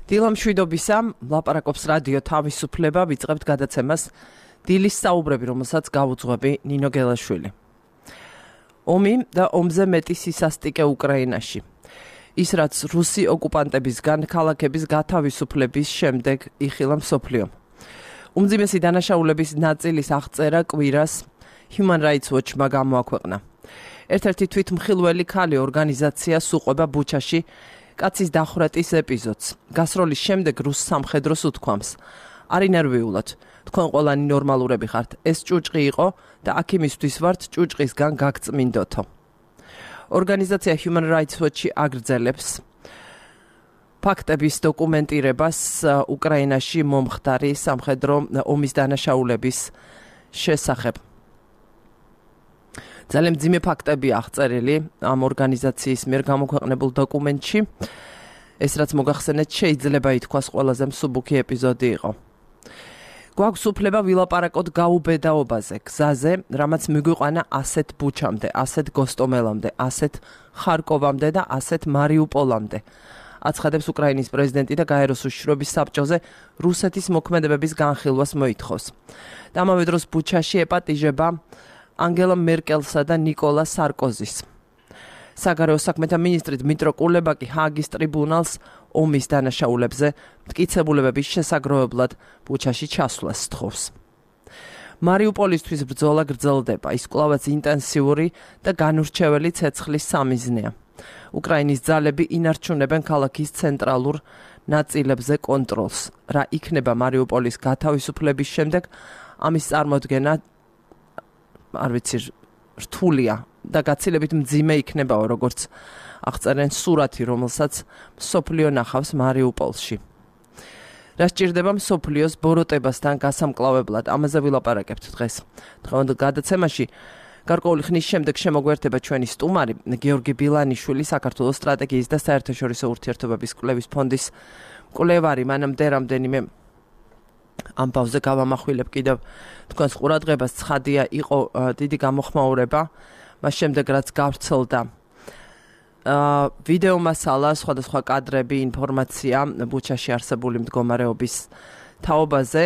დილამშვიდობისა, ლაპარაკობს რადიო თავისუფლება, ვიწყებთ გადაცემას დილის საუბრები, რომელსაც გავუძღვები ნინო გელაშვილი. ომი და ომზე მეტი სისასტიკე უკრაინაში. ის რაც რუსი ოკუპანტებისგან ქალაქების გათავისუფლების შემდეგ იხილა მსოფლიომ. უმძიმესი დანაშაულების ნაწილის აღწერა კვირას Human Rights Watch-მა გამოაქვეყნა. ერთ-ერთი თვითმხილველი ქალი ორგანიზაცია სუყვება ბუჩაში კაცის დახვრეტის ეპიზოდს. გასროლის შემდეგ რუს სამხედროს უთქვამს: "Არი ნერვიულად, თქვენ ყველანი ნორმალურები ხართ. ეს ჭუჭყი იყო და აქ იმისთვის ვართ ჭუჭყისგან გაგწმინდოთო." ორგანიზაცია Human Rights Watch-ი აგრძელებს ფაქტების დოკუმენტირებას უკრაინაში მომხდარი სამხედრო ომის დანაშაულების შესახებ. ძალიან მძიმე ფაქტები აღწერილი ამ ორგანიზაციის მიერ გამოქვეყნებულ დოკუმენტში. ეს რაც მოგახსენეთ, შეიძლება ითქვას ყველაზე მსუბუქი ეპიზოდი იყო. გვაქვს უფლება ვილაპარაკოთ გაუბედაობაზე, გზაზე, რამაც მიგვიყვანა ასეთ ბუჩამდე, ასეთ გოსტომელამდე, ასეთ ხარკოვამდე და ასეთ მარიუპოლამდე. აცხადებს უკრაინის პრეზიდენტი და გაეროს უშიშროების საბჭოზე რუსეთის მოქმედებების განხილვას მოითხოვს. და ამავე დროს ბუჩაში ეპატიჟება ანგელა მერკელსა და ნიკოლა სარკოზის. საგარეო საქმეთა მინისტრი დმიტრო კულება კი ჰააგის ტრიბუნალს ომის დანაშაულებზე მტკიცებულებების შესაგროვებლად ბუჩაში ჩასვლას სთხოვს. მარიუპოლისთვის ბრძოლა გრძელდება, ის კვლავაც ინტენსიური და განურჩეველი ცეცხლის სამიზნეა. უკრაინის ძალები ინარჩუნებენ ქალაქის ცენტრალურ ნაწილებზე კონტროლს. რა იქნება მარიუპოლის გათავისუფლების შემდეგ, ამის წარმოდგენა არ ვიცი, რთულია და გაცილებით მძიმე იქნებაო, როგორც აღწერენ სურათი, რომელსაც მსოფლიო ნახავს მარიუპოლში. რა სჭირდება მსოფლიოს ბოროტებასთან გასამკლავებლად, ამაზე ვილაპარაკებთ დღეს. დღევანდელ გადაცემაში გარკვეული ხნის შემდეგ შემოგვერთება ჩვენი სტუმარი გიორგი ბილანიშვილი, საქართველოს სტრატეგიის და საერთაშორისო ურთიერთობების კვლევის ფონდის კვლევარი. მანამდე რამდენიმე ამბავზე გავამახვილებ კიდევ თქვენს ყურადღებას. ცხადია, იყო დიდი გამოხმაურება მას შემდეგ, რაც გავრცელდა ვიდეო მასალა, სხვადასხვა კადრები, ინფორმაცია ბუჩაში არსებული მდგომარეობის თაობაზე.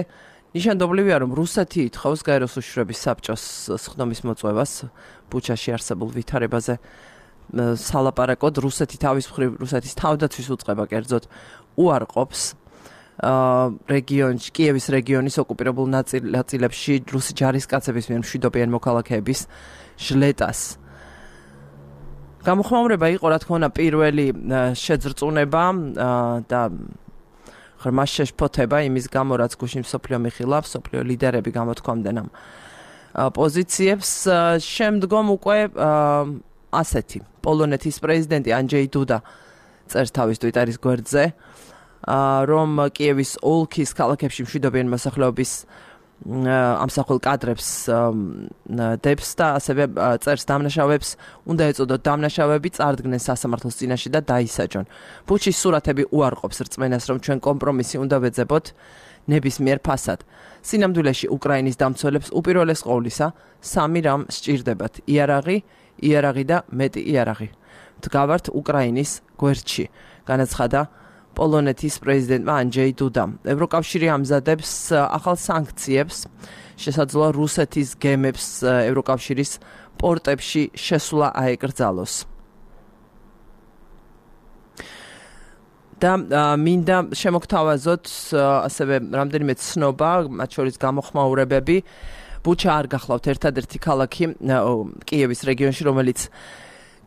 ნიშანდობლივია, რომ რუსეთი ითხოვს გაეროს უშიშროების საბჭოს სხდომის მოწვევას ბუჩაში არსებულ ვითარებაზე სალაპარაკოდ. რუსეთი თავის მხრივ, რუსეთის თავდაცვის უწყება კერძოდ უარყოფს რეგიონში, კიევის რეგიონის ოკუპირებულ ნაწილებში რუსი ჯარისკაცების მიერ მშვიდობიან მოქალაქეების ჟლეტას. გამოხმაურება იყო, რა თქმა უნდა, პირველი შეძრწუნება და ღრმა შეშფოთება იმის გამო, რაც გუშინ მსოფლიო მიხილა, მსოფლიო ლიდერები გამოთქვამდნენ ამ პოზიციებს. შემდგომ უკვე ასეთი პოლონეთის პრეზიდენტი ანჯეი დუდა წერს თავის ტვიტარის გვერდზე, რომ კიევის ოლქის ქალაქებში მშვიდობიან მოსახლეობის ამსახველ კადრებს დებს და ასევე წერს დამნაშავეებს უნდა ეწოდოთ დამნაშავეები წარდგნენ სასამართლოს წინაშე და დაისაჯონ. ბუჩის სურათები უარყოფს რწმენას, რომ ჩვენ კომპრომისი უნდა ვეძებოთ ნებისმიერ ფასად. სინამდვილეში უკრაინის დამცველებს უპირველეს ყოვლისა სამი რამ სჭირდებათ: იარაღი და მეტი იარაღი. დგავართ უკრაინის გვერდში, განაცხადა პოლონეთის პრეზიდენტმა ანჯეი დუდამ. ევროკავშირი ამზადებს ახალ სანქციებს, შესაძლოა რუსეთის გემებს ევროკავშირის პორტებში შესვლა აეკრძალოს. და მინდა შემოგთავაზოთ ასევე რამდენიმე ცნობა, მათ შორის გამოხმაურებები. ბუჩა არ გახლავთ ერთადერთი ქალაქი კიევის რეგიონში, რომელიც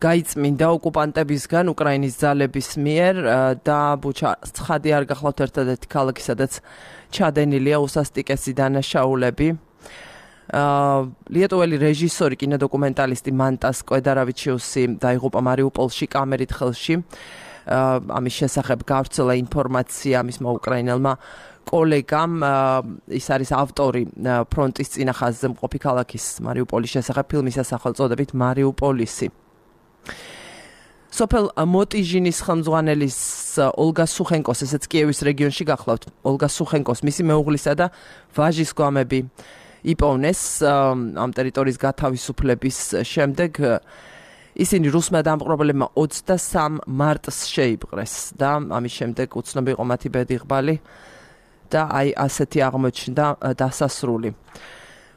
გაიწმინდა ოკუპანტებისგან უკრაინის ძალების მიერ და ბუჩა ცხადი არ გახლავთ ერთადერთი ქალაქი, სადაც ჩადენილია უსასტიკესი დანაშაულები. ლიეტუველი რეჟისორი, კინოდოკუმენტალისტი მანტას კვედარავიჩიუსი დაიღუპა მარიუპოლში კამერით ხელში. ამის შესახებ გავრცელა ინფორმაცია მისმა უკრაინელმა კოლეგამ. ის არის ავტორი ფრონტის წინა ხაზზე მყოფი ქალაქის მარიუპოლის შესახებ ფილმის სახელწოდებით მარიუპოლისი. სოფელ მოტიჟინის ხელმძღვანელის ოლგა სუხენკოს, ესეც კიევის რეგიონში გახლავთ, ოლგა სუხენკოს, მისი მეუღლისა და ვაჟის გვამები იპოვნეს ამ ტერიტორიის გათავისუფლების შემდეგ. ისინი რუსმა დამპყრობლებმა 23 მარტს შეიპყრეს და ამის შემდეგ უცნობი იყო მათი ბედიღბალი და აი ასეთი აღმოჩნდა დასასრული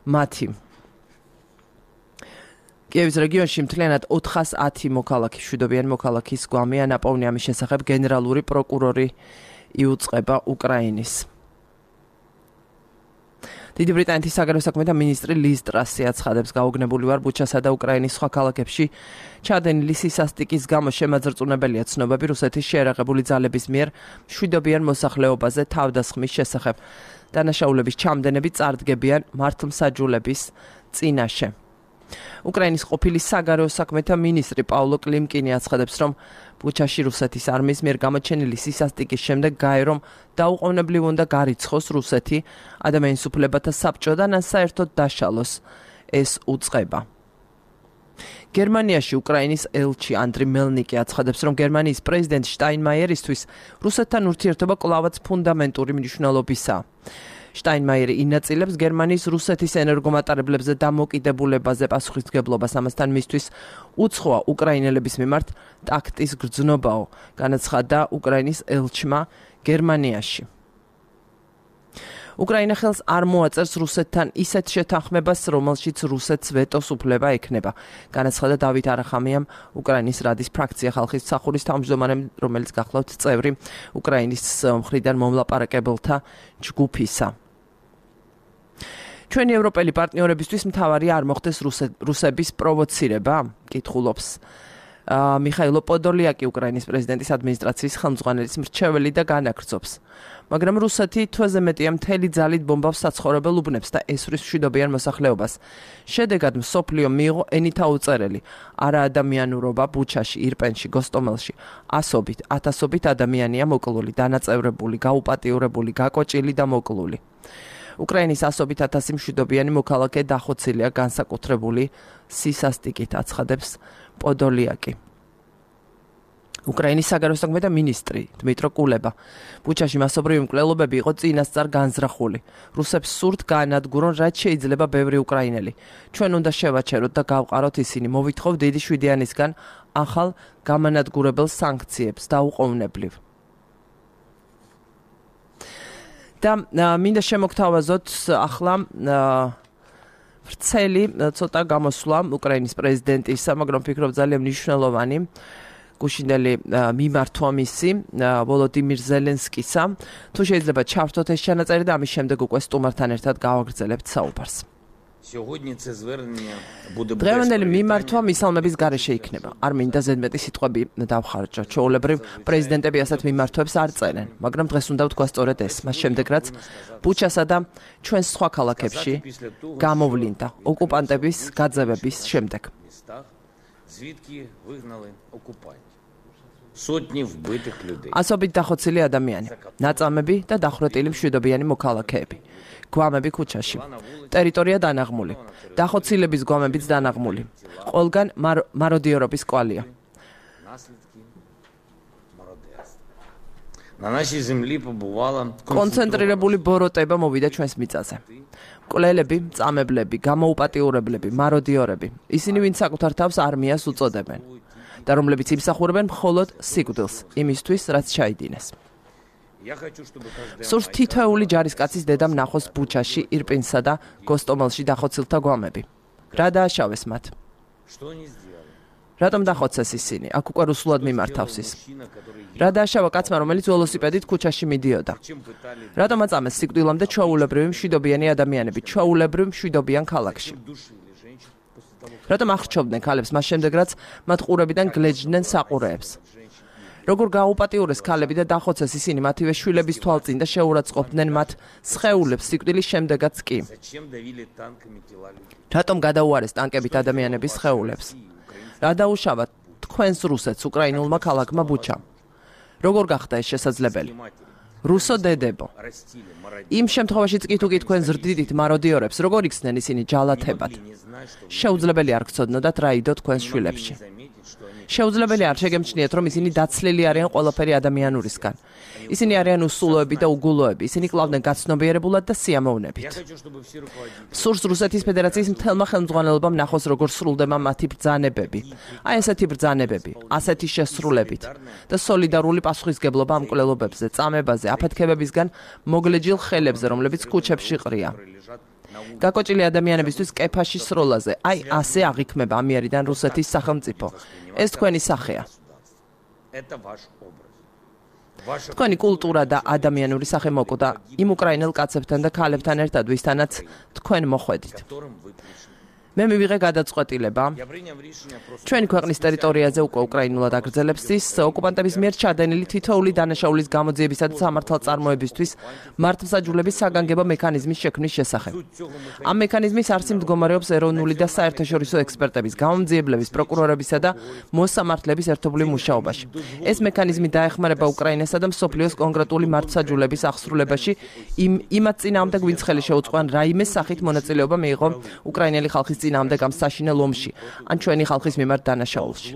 მათი. კიევის რეგიონში მთლიანად 410 მოქალაქე, მშვიდობიანი მოქალაქის გვამია ნაპოვნი, ამის შესახებ გენერალური პროკურორი იუწყება უკრაინის. დიდი ბრიტანეთის საგარეო საქმეთა მინისტრი ლის ტრასი აცხადებს, გაუგნებული ვარ ბუჩასა და უკრაინის სხვა ქალაქებში ჩადენილი სისასტიკის გამო შემაძრწუნებელია ცნობები რუსეთის შეერაღებული ძალების მიერ მშვიდობიან მოსახლეობაზე თავდასხმის შესახებ. დანაშაულების ჩამდენები წარდგებიან მართლმსაჯულების წინაშე. უკრაინის ყოფილი საგარეო საქმეთა მინისტრი პავლო კლიმკინი აცხადებს, რომ ბუჩაში რუსეთის არმიის მიერ გამოჩენილი სისასტიკის შემდეგ გაერო, დაუყოვნებლივ უნდა გარიცხოს რუსეთი ადამიანის უფლებათა საბჭოდან ან საერთოდ დაშალოს ეს უწყება. გერმანიაში უკრაინის ელჩი ანდრი მელნიკი აცხადებს, რომ გერმანიის პრეზიდენტ შტაინმაიერისთვის რუსეთთან ურთიერთობა კვლავაც ფუნდამენტური მნიშვნელობისაა. შტაინმაიერი ინაწილებს გერმანიის რუსეთის ენერგომატარებლებზე დამოკიდებულებაზე პასუხისმგებლობას, ამასთან მისთვის უცხოა უკრაინელების მიმართ ტაქტის გრძნობაო, განაცხადა უკრაინის ელჩმა გერმანიაში. უკრაინა ხელს არ მოაწერს რუსეთთან ისეთ შეთანხმებას, რომელშიც რუსეთს ვეტოს უფლება ექნება, განაცხადა დავით არახამიამ, უკრაინის რადის ფრაქცია ხალხის მსახურის თავმჯდომარემ, რომელიც გახლავთ წევრი უკრაინის მხრიდან მომლაპარაკებელთა ჯგუფისა. ჩვენი ევროპელი პარტნიორებისთვის მთავარია არ მოხდეს რუსების პროვოცირება, კითხულობს მიხაილო პოდოლიაკი, უკრაინის პრეზიდენტის ადმინისტრაციის ხელმძღვანელის მრჩეველი და განაგრძობს. მაგრამ რუსეთი თვეზე მეტია მთელი ძალით ბომბავს საცხოვრებელ უბნებს და ესვრის მშვიდობიან მოსახლეობას. შედეგად მსოფლიო მიიღო ენითა უწერელი არაადამიანურობა ბუჩაში, ირპენში, გოსტომელში. ასობით, ათასობით ადამიანია მოკლული, დანაწევრებული, გაუპატიურებული, გაკოჭილი და მოკლული. უკრაინის ასობით ათასი მშვიდობიანი მოქალაქე დახოცილია განსაკუთრებული სისასტიკით, აცხადებს პოდოლიაკი. უკრაინის საგარეო საქმეთა მინისტრი დმიტრო კულება. ბუჩაში მასობრივი მკვლელობები იყო წინასწარ განზრახული. რუსებს სურთ გაანადგურონ, რაც შეიძლება ბევრი უკრაინელი. ჩვენ უნდა შევაჩეროთ და გავყაროთ ისინი. მოვითხოვ დიდი შვიდიანისგან ახალ გამანადგურებელ სანქციებს დაუყოვნებლივ. და მინდა შემოგთავაზოთ ახლა ვრცელი ცოტა გამოსვლა უკრაინის პრეზიდენტისა, მაგრამ ვფიქრობ ძალიან მნიშვნელოვანი გუშინდელი მიმართვა მისი ვოლოდიმირ ზელენსკისა. თუ შეიძლება ჩავრთოთ ეს ჩანაწერი და ამის შემდეგ უკვე სტუმართან ერთად გავაგრძელებთ საუბარს. დღევანდელი მიმართვა მისალმების გარეშე იქნება. არ მინდა ზედმეტი სიტყვები დავხარჯო. ჩვეულებრივ პრეზიდენტები ასეთ მიმართვებს არ წერენ, მაგრამ დღეს უნდა ვთქვა სწორედ ეს, მას შემდეგ რაც ბუჩასა და ჩვენ სხვა ქალაქებში გამოვლინდა ოკუპანტების გაძევების შემდეგ. ასობით დახოცილი ადამიანი, ნაწამები და დახვრეტილი მშვიდობიანი მოქალაქეები. გვამები ქუჩაში. ტერიტორია დანაღმული. დახოცილების გვამებიც დანაღმული. ყველგან მაროდიორობის კვალია. კონცენტრირებული ბოროტება მოვიდა ჩვენს მიწაზე. მკვლელები, წამებლები, გამოუპატიურებლები, მაროდიორები, ისინი ვინც საკუთარ თავს არმიას უწოდებენ და რომლებიც იმსახურებენ მხოლოდ სიკვდილს, იმისთვის, რაც ჩაიდინეს. სურს თითოეული ჯარისკაცის დედამ ნახოს ბუჩაში, ირპინსა და გოსტომელში დახოცილთა გვამები. რა დააშავეს მათ? რატომ დახოცეს ისინი? აქ უკვე რუსულად მიმართავს ის. რა დააშავა კაცმა, რომელიც ველოსიპედით ქუჩაში მიდიოდა? რატომ აწამეს სიკვდილამდე ჩვეულებრივი მშვიდობიანი ადამიანები, ჩვეულებრივ მშვიდობიან ქალაქში? რატომ ახრჩობდნენ ქალებს მას შემდეგ, რაც მათ ყურებიდან გლეჯდნენ საყურეებს? როგორ გააუპატიურეს ქალები და დახოცეს ისინი მათივე შვილების თვალწინ და შეურაცხყოფდნენ მათ სხეულებს სიკვდილის შემდეგაც კი? რატომ გადაუარეს ტანკებით ადამიანების სხეულებს? რა დაუშავა თქვენს რუსეთს უკრაინულმა ქალაქმა ბუჩამ? როგორ გახდა ეს შესაძლებელი? რუსო დედებო. იმ შემთხვევაშიც კი თუ თქვენ ზრდიდით მაროდიორებს, როგორ იქცნენ ისინი ჯალათებად? შეუძლებელი არ გცოდნოდათ რა იდო თქვენს შვილებში. შეუძლებელი არ შეგემჩნიათ, რომ ისინი დაცლილი არიან ყველაფერი ადამიანურისგან. ისინი არიან უსულოები და უგულოები, ისინი კლავდნენ გაცნობიერებულად და სიამოვნებით. სურს რუსეთის ფედერაციის მთელმა ხელმძღვანელობამ ნახოს, როგორ სრულდება მათი ბრძანებები. აი ესეთი ბრძანებები, ასეთი შესრულებით და სოლიდარული პასუხისგებლობა ამ კვლელობებზე, წამებაზე, აფეთქებებისგან მოგლეჯილ ხელებზე, რომლებიც ქუჩებში ყრია. გაკოჭილი ადამიანებისთვის კეფაში სროლაზე, აი ასე აღიქმება ამიერიდან რუსეთის სახელმწიფო. ეს თქვენი სახეა. თქვენი კულტურა და ადამიანური სახე მოკვდა იმ უკრაინელ კაცებთან და ქალებთან ერთად, ვისთანაც თქვენ მოხვედით. მე მივიღე გადაწყვეტილება ჩვენი ქვეყნის ტერიტორიაზე უკვე უკრაინულად აგრძელებს ის ოკუპანტების მიერ ჩადენილი თითოეული დანაშაულის გამოძიებისა და სამართალწარმოებისთვის მართლმსაჯულების საგანგებო მექანიზმის შექმნის შესახებ. ამ მექანიზმის არსი მდგომარეობს ეროვნული და საერთაშორისო ექსპერტების, გამომძიებლების, პროკურორებისა და მოსამართლების ერთობლივ მუშაობაში. ეს მექანიზმი დაეხმარება უკრაინასა და მსოფლიოს კონკრეტული მართლმსაჯულების აღსრულებაში იმათ წინააღმდეგ, ვინც ხელი შეუწყყვან რაიმე სახით მონაწილეობა მიიღო უკრაინელი ხალხის წინააღმდეგ ამ საშინელ ომში, ან ჩვენი ხალხის მიმართ დანაშაულში.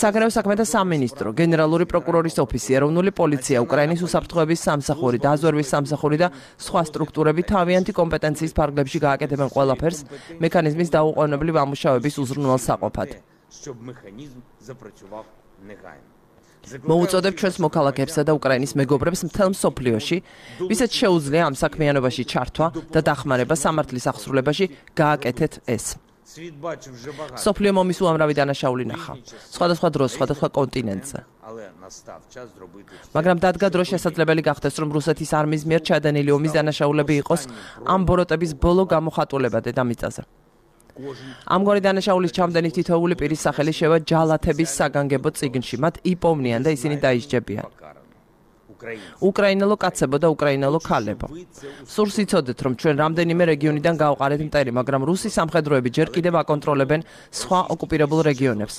საგარეო საქმეთა სამინისტრო, გენერალური პროკურორის ოფისი, ეროვნული პოლიცია, უკრაინის უსაფრთხოების სამსახური, დაზვერვის სამსახური და სხვა სტრუქტურები თავიანთი კომპეტენციის ფარგლებში გააკეთებენ ყველაფერს მექანიზმის დაუყოვნებლივ ამუშავების უზრუნველსაყოფად. მოუწოდებ ჩვენს მოქალაქეებსა და უკრაინის მეგობრებს მთელ მსოფლიოში, ვისაც შეუძლია ამ საქმიანობაში ჩართვა და დახმარება სამართლის აღსრულებაში, გააკეთეთ ეს. მსოფლიო მომის უამრავი დანაშაული ნახა, სხვადასხვა დროს, სხვადასხვა კონტინენტზე. მაგრამ დადგა დრო შესაძლებელი გახდეს, რომ რუსეთის არმიის მიერ ჩადენილი ომის დანაშაულები იყოს ამ ბოროტების ბოლო გამოხატულება დედამიწაზე. ამგვარი დანაშაულის ჩამდენი თითოეული პირის სახელი შევა ჯალათების საგანგებო წიგნში, მათ იპოვნიან და ისინი დაისჯებიან. უკრაინელო კაცებო და უკრაინელო ქალებო. სურს იცოდეთ, რომ ჩვენ რამდენიმე რეგიონიდან გავყარეთ მტერი, მაგრამ რუსი სამხედროები ჯერ კიდევ აკონტროლებენ სხვა ოკუპირებულ რეგიონებს.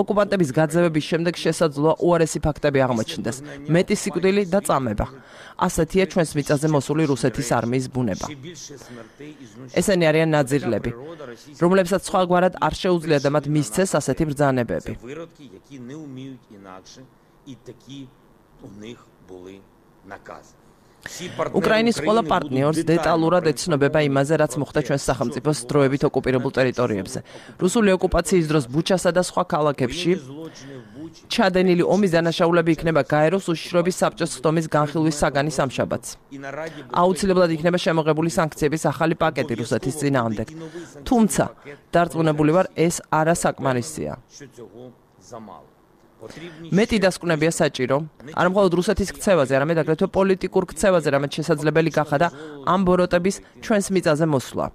ოკუპანტების გაძევების შემდეგ შესაძლოა უარესი ფაქტები აღმოჩნდეს, მეტი სიკვდილი და წამება. ასეთია ჩვენს მიწაზე მოსული რუსეთის არმიის ბუნება. ესენი არიან ნაძირლები, რომლებსაც სხვაგვარად არ შეუძლიათ და მათ მისცეს ასეთი ბრძანებები. უკრაინის ყველა პარტნიორს დეტალურად ეცნობება იმაზე, რაც მოხდა ჩვენს სახელმწიფოს დროებით ოკუპირებულ ტერიტორიებზე. რუსული ოკუპაციის დროს ბუჩასა და სხვა ქალაქებში ჩადენილი ომის დანაშაულები იქნება გაეროს უშიშროების საბჭოს ხდომის განხილვის საგანის ამშაბათს. აუცილებლად იქნება შემოღებული სანქციების ახალი პაკეტი რუსეთის წინააღმდეგ. თუმცა, დარწმუნებული ვარ, ეს არასაკმარისია. მეტი დასკვნებია საჭირო, არა მხოლოდ რუსეთის ქცევაზე, არამედ აგრეთვე პოლიტიკურ ქცევაზე, რამაც შესაძლებელი გახადა ამ ბოროტების ჩვენს მიწაზე მოსვლა.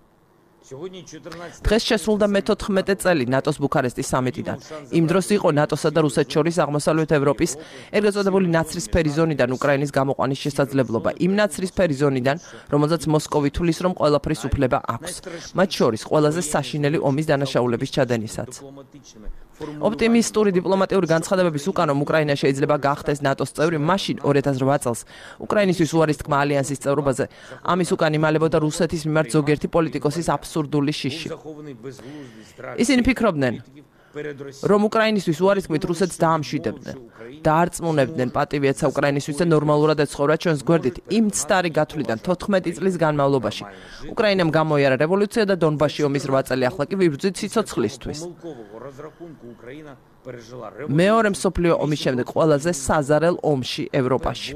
დღეს შესრულდა მე-14 წელი ნატოს ბუქარესტის სამიტიდან. იმ დროს იყო ნატოსა და რუსეთს შორის აღმოსავლეთ ევროპის ეგრეთ წოდებული ნაცრისფერი ზონიდან უკრაინის გამოყვანის შესაძლებლობა. იმ ნაცრისფერი ზონიდან, რომელზეც მოსკოვი თulis, რომ ყველაფრის უფლება აქვს. მათ შორის ყველაზე საშინელი ომის დანაშაულების ჩადენისაც. ოპტიმისტური დიპლომატიური განცხადებების უკან, რომ უკრაინა შეიძლება გახდეს ნატოს წევრი, მაშინ 2008 წელს უკრაინისთვის უარის თქმა ალიანსის წევრობაზე, ამის უკან იმალებოდა რუსეთის მიმართ ზოგიერთი პოლიტიკოსის აბსურდული შიში. ისინი ფიქრობდნენ, რომ უკრაინისთვის უარის თქმით რუსეთს დაამშვიდებდნენ, დაარწმუნებდნენ პატივიაცა უკრაინისთვის და ნორმალურად ეცხოვრა ჩვენს გვერდით იმ ცდარი გათვლიდან 14 წლის განმავლობაში. უკრაინამ გამოიარა რევოლუცია და დონბასში ომის 8 წელი ახლა კი ვიბრძვით სიცოცხლისთვის. მეორე მსოფლიო ომის შემდეგ ყველაზე საზარელ ომში ევროპაში.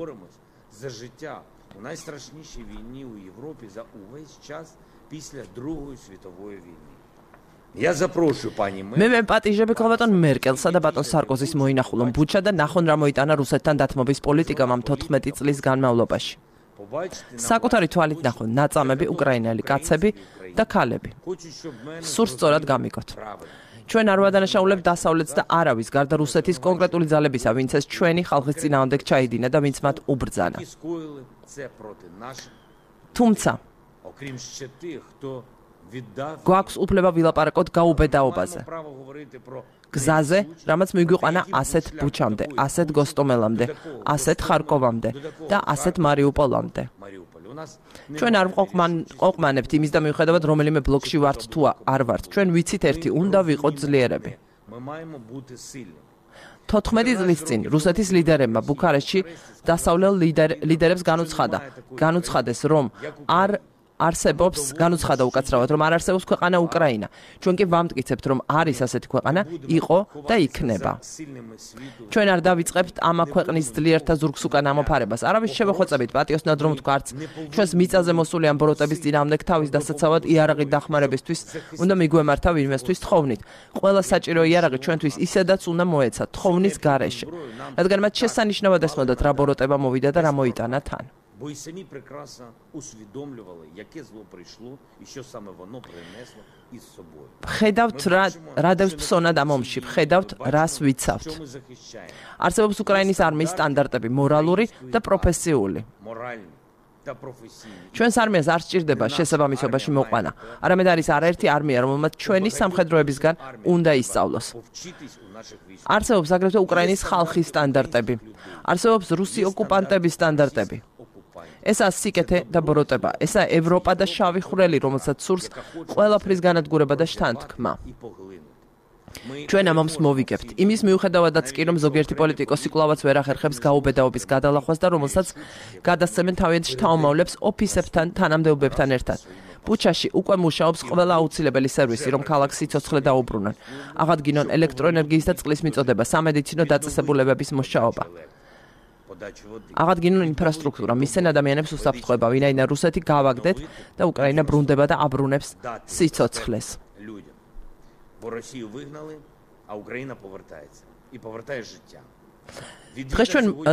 მე პატიჟები ბატონ მერკელსა და ბატონ სარკოზის მოინახულონ ბუჩა და ნახონ რა მოიტანა რუსეთთან დათმობის პოლიტიკამ ამ 14 წლის განმავლობაში. საკუთარი თვალით ნახონ ნაწამები უკრაინელი კაცები და ქალები. სურს სწორად გამიგოთ. ჩვენ არ ვადანაშაულებთ დასავლეთს და არავის გარდა რუსეთის კონკრეტული ძალებისა, ვინც ეს ჩვენი ხალხის წინააღმდეგ ჩაიდინა და ვინც მათ უბრძანა. თუმცა გვაქვს უფლება ვილაპარაკოთ გაუბედაობაზე. გზაზე, რამაც მიგვიყვანა ასეთ ბუჩამდე, ასეთ გოსტომელამდე, ასეთ ხარკოვამდე და ასეთ მარიუპოლამდე. ჩვენ არ ყოყმანებთ იმის და მიუხედავად რომელიმე ბლოკში ვართ თუ არ ვართ. ჩვენ ვიცით ერთი, უნდა ვიყოთ ძლიერები. 14 წლის წინ რუსეთის ლიდერებმა ბუქარესტში დასავლელ ლიდერებს განუცხადეს, რომ განუცხადა უკაცრავად, რომ არ არსებობს ქვეყანა უკრაინა. ჩვენ კი ვამტკიცებთ, რომ არის ასეთი ქვეყანა, იყო და იქნება. ჩვენ არ დავიწყებთ ამა ქვეყნის ძლიერთა ზურგს უკან ამოფარებას. არავის შევეხვეწებით პატიოსნად რომ ვთქვათ, ჩვენს მიწაზე მოსული ამ ბოროტების წინააღმდეგ თავის დასაცავად იარაღით დახმარებისთვის უნდა მიგვემართა ვინმესთვის თხოვნით. ყველა საჭირო იარაღი ჩვენთვის ისედაც უნდა მოეცა თხოვნის გარეშე. რადგან მათ შესანიშნავად ესმოდათ რა ბოროტება მოვიდა და რა მოიტანა თან. Бо і самі прекрасно усвідомлювали, яке зло прийшло і що саме воно принесло із собою. Ხედავთ რა დევს ფსონად ამ ომში, ხედავთ რას ვიცავთ. არსებობს უკრაინის არმიის სტანდარტები, მორალური და პროფესიული. ჩვენს არმიას არ სჭირდება შესაბამისობაში მოყვანა. არამედ არის არაერთი არმია, რომელმაც ჩვენი სამხედროებისგან უნდა ისწავლოს. არსებობს აგრეთვე უკრაინის ხალხის სტანდარტები. არსებობს რუსი ოკუპანტების სტანდარტები. ესაა სიკეთე და ბოროტება. ესაა ევროპა და შავი ხვრელი, რომელსაც სურს ყველაფრის განადგურება და შთანთქმა. ჩვენ ამ ომს მოვიგებთ. იმის მიუხედავადაც კი, რომ ზოგიერთი პოლიტიკოსი კვლავაც ვერ ახერხებს გაუბედაობის გადალახვას და რომელსაც გადასცემენ თავიანთ შთამომავლებს ოფისებთან, თანამდებობებთან ერთად. ბუჩაში უკვე მუშაობს ყველა აუცილებელი სერვისი, რომ ქალაქს სიცოცხლე დაუბრუნონ. აღადგინონ ელექტროენერგიის და წყლის მიწოდება, სამედიცინო დაწესებულებების მუშაობა. აღადგინონ ინფრასტრუქტურა, მისცენ ადამიანებს უსაფრთხოება, ვინაიდან რუსეთი გავაგდეთ და უკრაინა ბრუნდება და აბრუნებს სიცოცხლეს.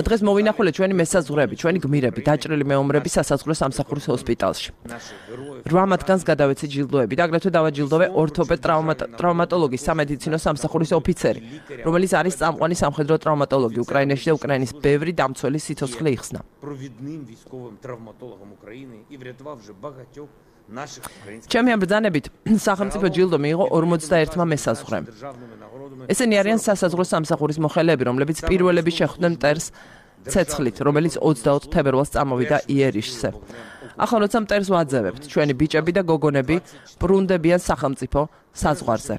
დღეს მოვინახულეთ ჩვენი მესაზღვრეები, ჩვენი გმირები, დაჭრილი მეომრები სასაზღვრო სამსახურის ჰოსპიტალში. 8 მათგანს გადავეცი ჯილდოები და აგრეთვე დავაჯილდოვე ორთოპედ ტრავმატოლოგი, სამედიცინო სამსახურის ოფიცერი, რომელიც არის წამყვანი სამხედრო ტრავმატოლოგი უკრაინაში და უკრაინის ბევრი დამცველი სიცოცხლე იხსნა. ჩემი ამბრძანებით სახელმწიფო ჯილდო მიიღო 41-მა მესაზღვრემ. ესენი არიან სასაზღვრო სამსახურის მოხელეები, რომლებიც პირველები შეხვდნენ მტერს ცეცხლით, რომელიც 24 თებერვალს წამოვიდა იერიშზე. ახლა როცა მტერს ვაძევებთ, ჩვენი ბიჭები და გოგონები ბრუნდებიან სახელმწიფო საზღვარზე.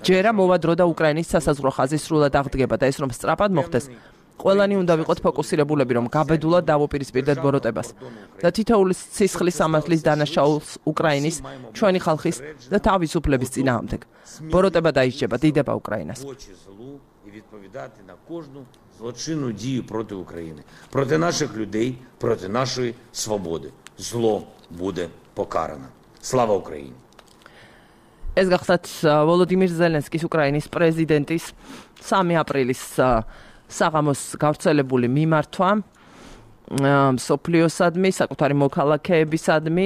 ჯერა მოვა დრო და უკრაინის სასაზღვრო ხაზი სრულად აღდგება და ეს რომ სწრაფად მოხდეს, ყველანი უნდა ვიყოთ ფოკუსირებულები, რომ გაბედულად დავუპირისპირდეთ ბოროტებას და თითოეული სისხლის სამართლის დანაშაულს უკრაინის, ჩვენი ხალხის და თავისუფლების წინააღმდეგ. ბოროტება დაიჭება, დიდება უკრაინას. Відповідати на кожну злочинну дію проти України, проти наших людей, проти нашої свободи. Зло буде покарано. Слава Україні! ეს გახდათ ვოლოდიმირ ზელენსკის უკრაინის პრეზიდენტის 3 აპრილის საღამოს გავრცელებული მიმართვა მსოფლიოსადმი, საკუთარი მოქალაქეებისადმი,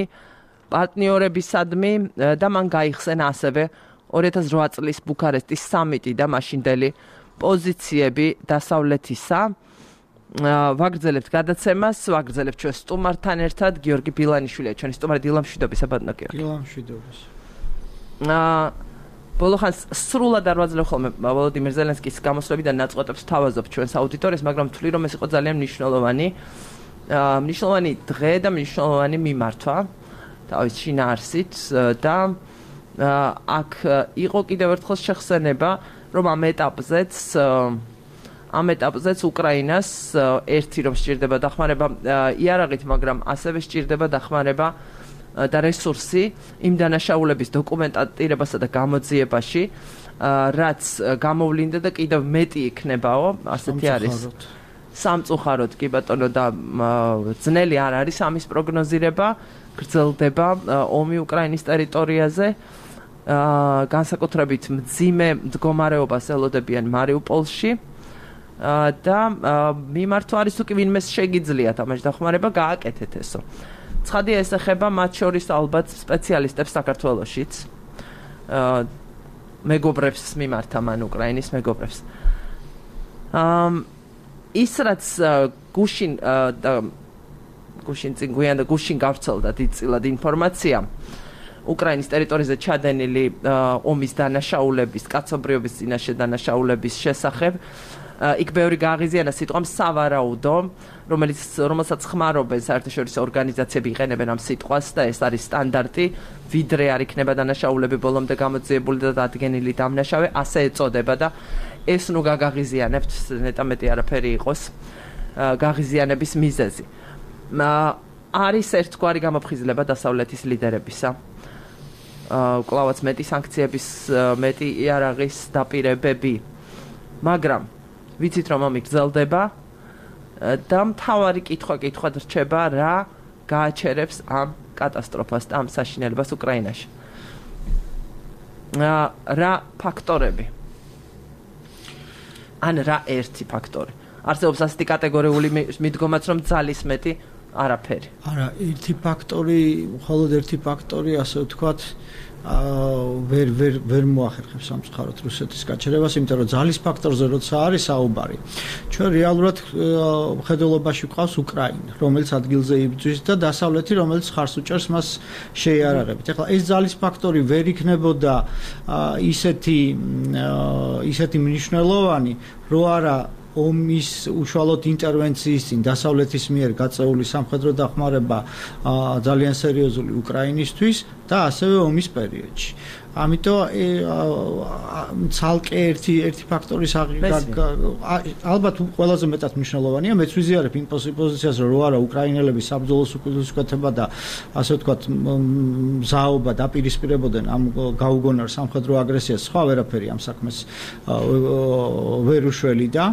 პარტნიორებისადმი და მან გაიხსენა ასევე 2008 წლის ბუქარესტის სამიტი და მაშინდელი პოზიციები დასავლეთისა. ვაგრძელებთ გადაცემას, ვაგრძელებთ ჩვენ სტუმართან ერთად, გიორგი ბილანიშვილია, ჩვენი სტუმარი. დილამშვიდობის, აბადნა გიორგი. დილამშვიდობის. ბოლო ხანს სრულად არ ვაძლევ ხოლმე ვოლოდიმირ ზელენსკის გამოსვლებიდან ნაწყვეტებს თავაზობ ჩვენს აუდიტორიას, მაგრამ ვთვლი, რომ ეს იყო ძალიან მნიშვნელოვანი დღე და მნიშვნელოვანი მიმართვა თავის შინაარსით და აქ იყო კიდევ ერთხელ შეხსენება, რომ ამ ეტაპზეც უკრაინას ერთი რომ სჭირდება დახმარება იარაღით, მაგრამ ასევე სჭირდება დახმარება და რესურსი იმ დანაშაულების დოკუმენტირებასა და გამოძიებაში, რაც გამოვლინდა და კიდევ მეტი იქნებაო, ასეთი არის. სამწუხაროდ კი ბატონო და ძნელი არ არის ამის პროგნოზირება, გრძელდება ომი უკრაინის ტერიტორიაზე. განსაკუთრებით მძიმე მდგომარეობას ელოდებიან მარიუპოლში და მიმართვა არის თუ კი ვინმეს შეგიძლიათ ამაში დახმარება, გააკეთეთ ესო. ცხადია ეს ეხება მათ შორის ალბათ სპეციალისტებს საქართველოშიც, მეგობრებს მიმართა მან უკრაინის მეგობრებს. ის რაც გუშინ გუშინ წინ გვიან და გუშინ გავრცელდა დიდწილად ინფორმაცია უკრაინის ტერიტორიაზე ჩადენილი ომის დანაშაულების, კაცობრიობის წინაშე დანაშაულების შესახებ. იქ ბევრი გააღიზიანა სიტყვამ სავარაუდო, რომელსაც ხმარობენ საერთაშორისო ორგანიზაციები იყენებენ ამ სიტყვას და ეს არის სტანდარტი, ვიდრე არ იქნება დანაშაულები ბოლომდე გამოძიებული და დადგენილი დამნაშავე, ასე ეწოდება და ეს ნუ გაგაღიზიანებთ, ნეტამეტი არაფერი იყოს გაღიზიანების მიზეზი. არის ერთგვარი გამოფხიზლება დასავლეთის ლიდერებისა. კლავაც მეტი სანქციების, მეტი იარაღის დაპირებები, მაგრამ ვიცით რომ ომი გრძელდება და მთავარი კითხვა რჩება რა გააჩერებს ამ კატასტროფას და ამ საშინელებას უკრაინაში. რა ფაქტორები? ან რა ერთი ფაქტორი? არსებობს ასეთი კატეგორიული მიდგომაც რომ ძალის მეტი არაფერი. არა, ერთი ფაქტორი, მხოლოდ ერთი ფაქტორი, ასე ვთქვათ, ვერ მოახერხებს სამწუხაროდ რუსეთის გაჩერებას, იმიტომ რომ ძალის ფაქტორზე როცა არის საუბარი. ჩვენ რეალურად მხედველობაში გვყავს უკრაინა, რომელიც ადგილზე იბრძვის და დასავლეთი, რომელიც ხარს უჭერს მას შეიარაღებით. ეხლა ეს ძალის ფაქტორი ვერ იქნებოდა ისეთი მნიშვნელოვანი, რო არა ომის უშუალოდ ინტერვენციის წინ დასავლეთის მიერ გაწეული სამხედრო დახმარება ძალიან სერიოზული უკრაინისთვის და ასევე ომის პერიოდში. ამიტომ ცალკე ერთი ფაქტორის ალბათ ყველაზე მეტად მნიშვნელოვანია. მეც ვიზიარებ იმ პოზიციას, რომ არა უკრაინელები საბრძოლოს უკუცხვეთება და ასე ვთქვათ მზაობა დაპირისპირებოდნენ ამ გაუგონარ სამხედრო აგრესიას, სხვა ვერაფერი ამ საქმეს ვერ უშველიდა.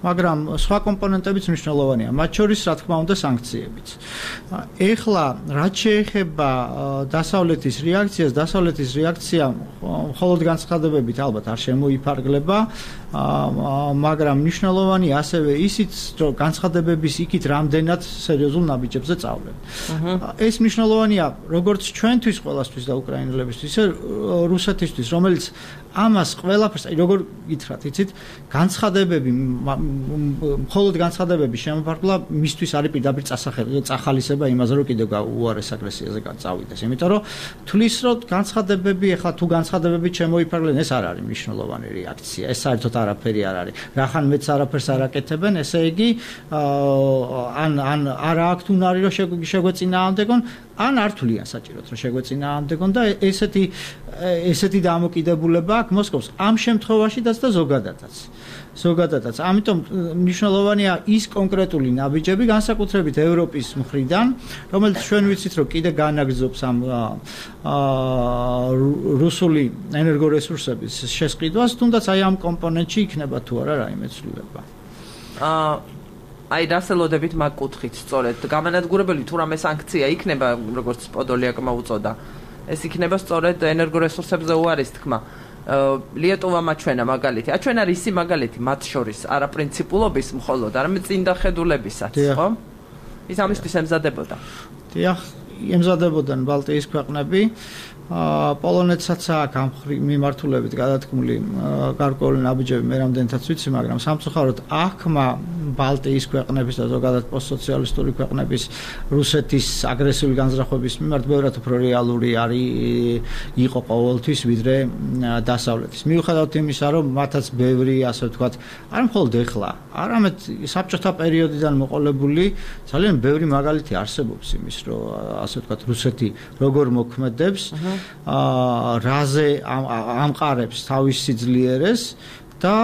მაგრამ სხვა კომპონენტებიც მნიშვნელოვანია, მათ შორის რა თქმა უნდა სანქციებიც. ეხლა რაც შეეხება დასავლეთის რეაქციას, დასავლეთის რეაქცია მხოლოდ განცხადებებით ალბათ არ შემოიფარგლება, მაგრამ მნიშვნელოვანი ასევე ისიც, რომ განცხადებების იქით რამდენად სერიოზულ ნაბიჯებზე წავლენ. ეს მნიშვნელოვანია როგორც ჩვენთვის ყველასთვის და უკრაინელებისთვის, ისე რუსეთისთვის, რომელიც ამას ყველაფერს, როგორ გითხრათ, იცით, განცხადებები, მხოლოდ განცხადებების შემოფარგლა მისთვის არის პირდაპირ წახალისება იმაზე, რომ კიდევ უარეს აგრესიაზე წავიდეს. იმიტომ რომ თulis რომ განცხადებები, ეხლა თუ განცხადებებით შემოიფარგლენ, ეს არ არის მნიშვნელოვანი რეაქცია. ეს საერთოდ არაფერი არ არის. რახან მეც არაფერს არ აკეთებენ, ესე იგი ან არა აქვთ უნარი რომ შეგვეწინააღმდეგონ, ან არ თვლიან საჭიროდ რომ შეგვეწინააღმდეგონ და ესეთი დამოკიდებულება აქვს მოსკოვს ამ შემთხვევაშიც და ზოგადადაც. ამიტომ მნიშვნელოვანია ის კონკრეტული ნაბიჯები, განსაკუთრებით ევროპის მხრიდან, რომელიც ჩვენ ვიცით, რომ კიდე განაგრძობს ამ რუსული ენერგორესურსების შესყიდვას, თუნდაც აი ამ კომპონენტში იქნება თუ არა რაიმე ცვლილება. აი დასელოდებით მაგ კუთხით სწორედ გამანადგურებელი თუ რამე სანქცია იქნება, როგორც პოდოლიაკმა უწოდა, ეს იქნება სწორედ ენერგორესურსებზე უარის თქმა. ლიეტუვა მაჩვენა მაგალითი. აჩვენა რისი მაგალითი მათ შორის, არა პრინციპულობის მხოლოდ, არამედ წინდახედულებისაც, ხო? ის ამისთვის ემზადებოდა. დიახ, ემზადებოდნენ ბალტიის ქვეყნები. პოლონეთსაც აქვს ამ მიმართულებით გადათქმული გარკვეული ნაბიჯები, მე რამდენთაც ვიცი, მაგრამ სამწუხაროდ აღქმა ბალტიის ქვეყნების და ზოგადად პოსტსოციალისტური ქვეყნების რუსეთის აგრესიული განზრახვების მიმართ ბევრად უფრო რეალური იყო ყოველთვის ვიდრე დასავლეთის. მიუხედავად იმისა, რომ მათაც ბევრი, ასე ვთქვათ, არ მხოლოდ ეხლა, არამედ საბჭოთა პერიოდიდან მოყოლებული ძალიან ბევრი მაგალითი არსებობს იმის, რომ ასე ვთქვათ, რუსეთი როგორ მოქმედებს, რაზე ამყარებს თავის სიძლიერეს და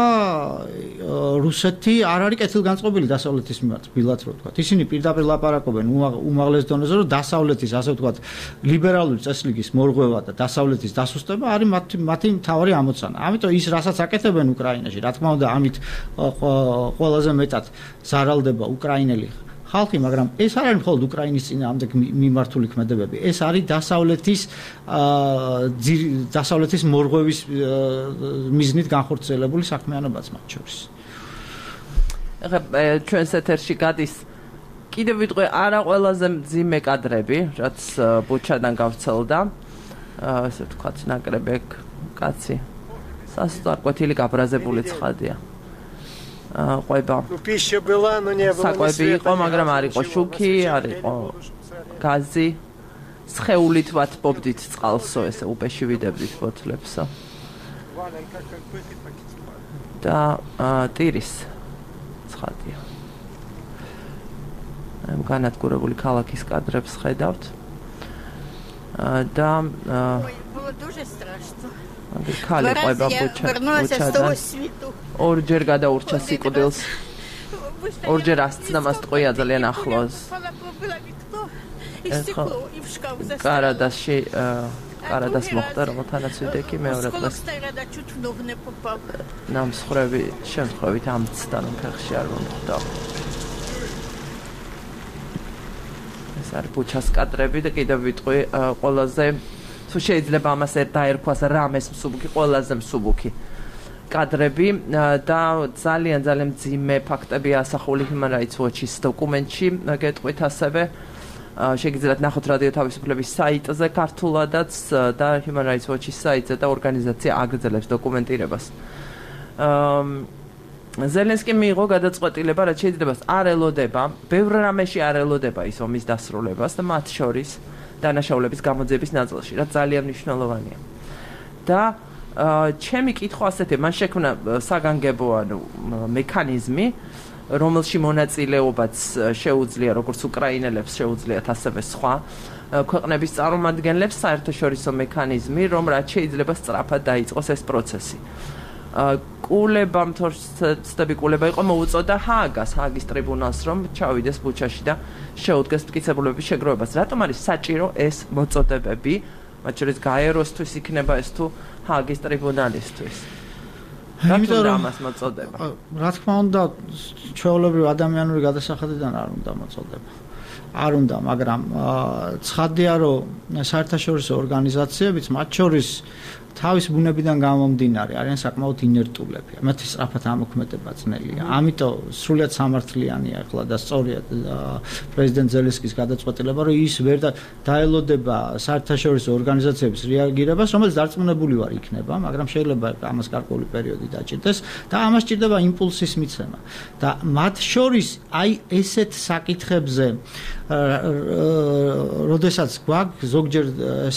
რუსეთი არ არის კეთილგანწყობილი დასავლეთის მიმართ, ბილად რო ვთქვათ. ისინი პირდაპირ ლაპარაკობენ უმაღლეს დონეზე, რომ დასავლეთის, ასე ვთქვათ, ლიბერალური წესრიგის მორღვევა და დასავლეთის დასუსტება არის მათი მთავარი ამოცანა. ამიტომ ის, რასაც აკეთებენ უკრაინაში, რა თქმა უნდა, ამით ყველაზე მეტად ზარალდება უკრაინელი ხალხი, მაგრამ ეს არ არის მხოლოდ უკრაინის წინააღმდეგ მიმართული ქმედებები. ეს არის დასავლეთის მორღვევის მიზნით განხორციელებული საქმიანობაც მათ შორის. ეხლა ჩვენს ეთერში გადის კიდევ ვიტყვი არა ყველაზე მძიმე კადრები, რაც ბუჩადან გავრცელდა. ასე ვთქვათ, ნაკრები კაცი. სასტარკვეთილი გაბრაზებული ცხადია. ყვება. Пища была, но не было. საკვები იყო, მაგრამ არ იყო შუქი, არ იყო გაზი. სხეულით ვათბობდით წყალსო, ესე უპეში ვიდებდით ბოთლებსო. და ტირის ცხადია. განადგურებული ქალაქის კადრებს ხედავთ. და было дуже страшно. ხალი ყვება ბუჩადან. ორჯერ გადაურჩა სიკვდილს. ორჯერ ასწნა მას ტყვია ძალიან ახლოს. კარადასში კარადას მოხდა რომელთანაც ვიდექი მეორე დღეს. ნამსხვრევი შემთხვევით ამცდა რომ ფეხში არ მომხვდა. ეს არის ბუჩას კადრები და კიდევ ვიტყვი ყველაზე თუ შეიძლება ამას დაერქვას რამეს მსუბუქი ყველაზე მსუბუქი კადრები და ძალიან მძიმე ფაქტებია ასახული Human Rights Watch-ის დოკუმენტში გეტყვით ასევე შეგიძლიათ ნახოთ რადიო თავისუფლების საიტზე ქართულადაც და Human Rights Watch-ის საიტზე და ორგანიზაცია აგრძელებს დოკუმენტირებას. ზელენსკიმ მიიღო გადაწყვეტილება, რაც შეიძლება არ ელოდება, ბევრ რამეში არ ელოდება ის ომის დასრულებას და მათ შორის დანაშაულების გამოძიების ნაწილში, რაც ძალიან მნიშვნელოვანია. და ჩემი კითხვა ასეთია, მან შექმნა საგანგებო მექანიზმი, რომელში მონაწილეობაც შეუძლია როგორც უკრაინელებს შეუძლიათ ასევე სხვა ქვეყნების წარმომადგენლებს საერთაშორისო მექანიზმი, რომ რაც შეიძლება სწრაფად დაიწყოს ეს პროცესი. კულება მთორცდები კულება იყო მოუწოდა ჰააგის ტრიბუნალს რომ ჩავიდეს ბუჩაში და შეუდგეს მტკიცებულების შეგროვებას. რატომ არის საჭირო ეს მოწოდებები, მათ შორის გაეროსთვის იქნება ეს თუ ჰააგის ტრიბუნალისთვის? იმიტომ რომ ამას მოწოდება. რა თქმა უნდა, ჩვეულებრივ ადამიანური გადასახადიდან არ უნდა მოწოდება. არ უნდა, მაგრამ ცხადია რომ საერთაშორისო ორგანიზაციებიც მათ შორის თავის ბუნებიდან გამომდინარე არიან საკმაოდ ინერტულები. მათი სწრაფად ამოქმედება ძნელია. ამიტომ სრულიად სამართლიანია ახლა და სწორია პრეზიდენტ ზელენსკის გადაწყვეტილება, რომ ის ვერ დაელოდება საერთაშორისო ორგანიზაციების რეაგირებას, რომელიც დარწმუნებული ვარ იქნება, მაგრამ შეიძლება ამას გარკვეული პერიოდი დაჭირდეს და ამას ჭირდება იმპულსის მიცემა. და მათ შორის აი ესეთ საკითხებზე როდესაც გვაქვს ზოგჯერ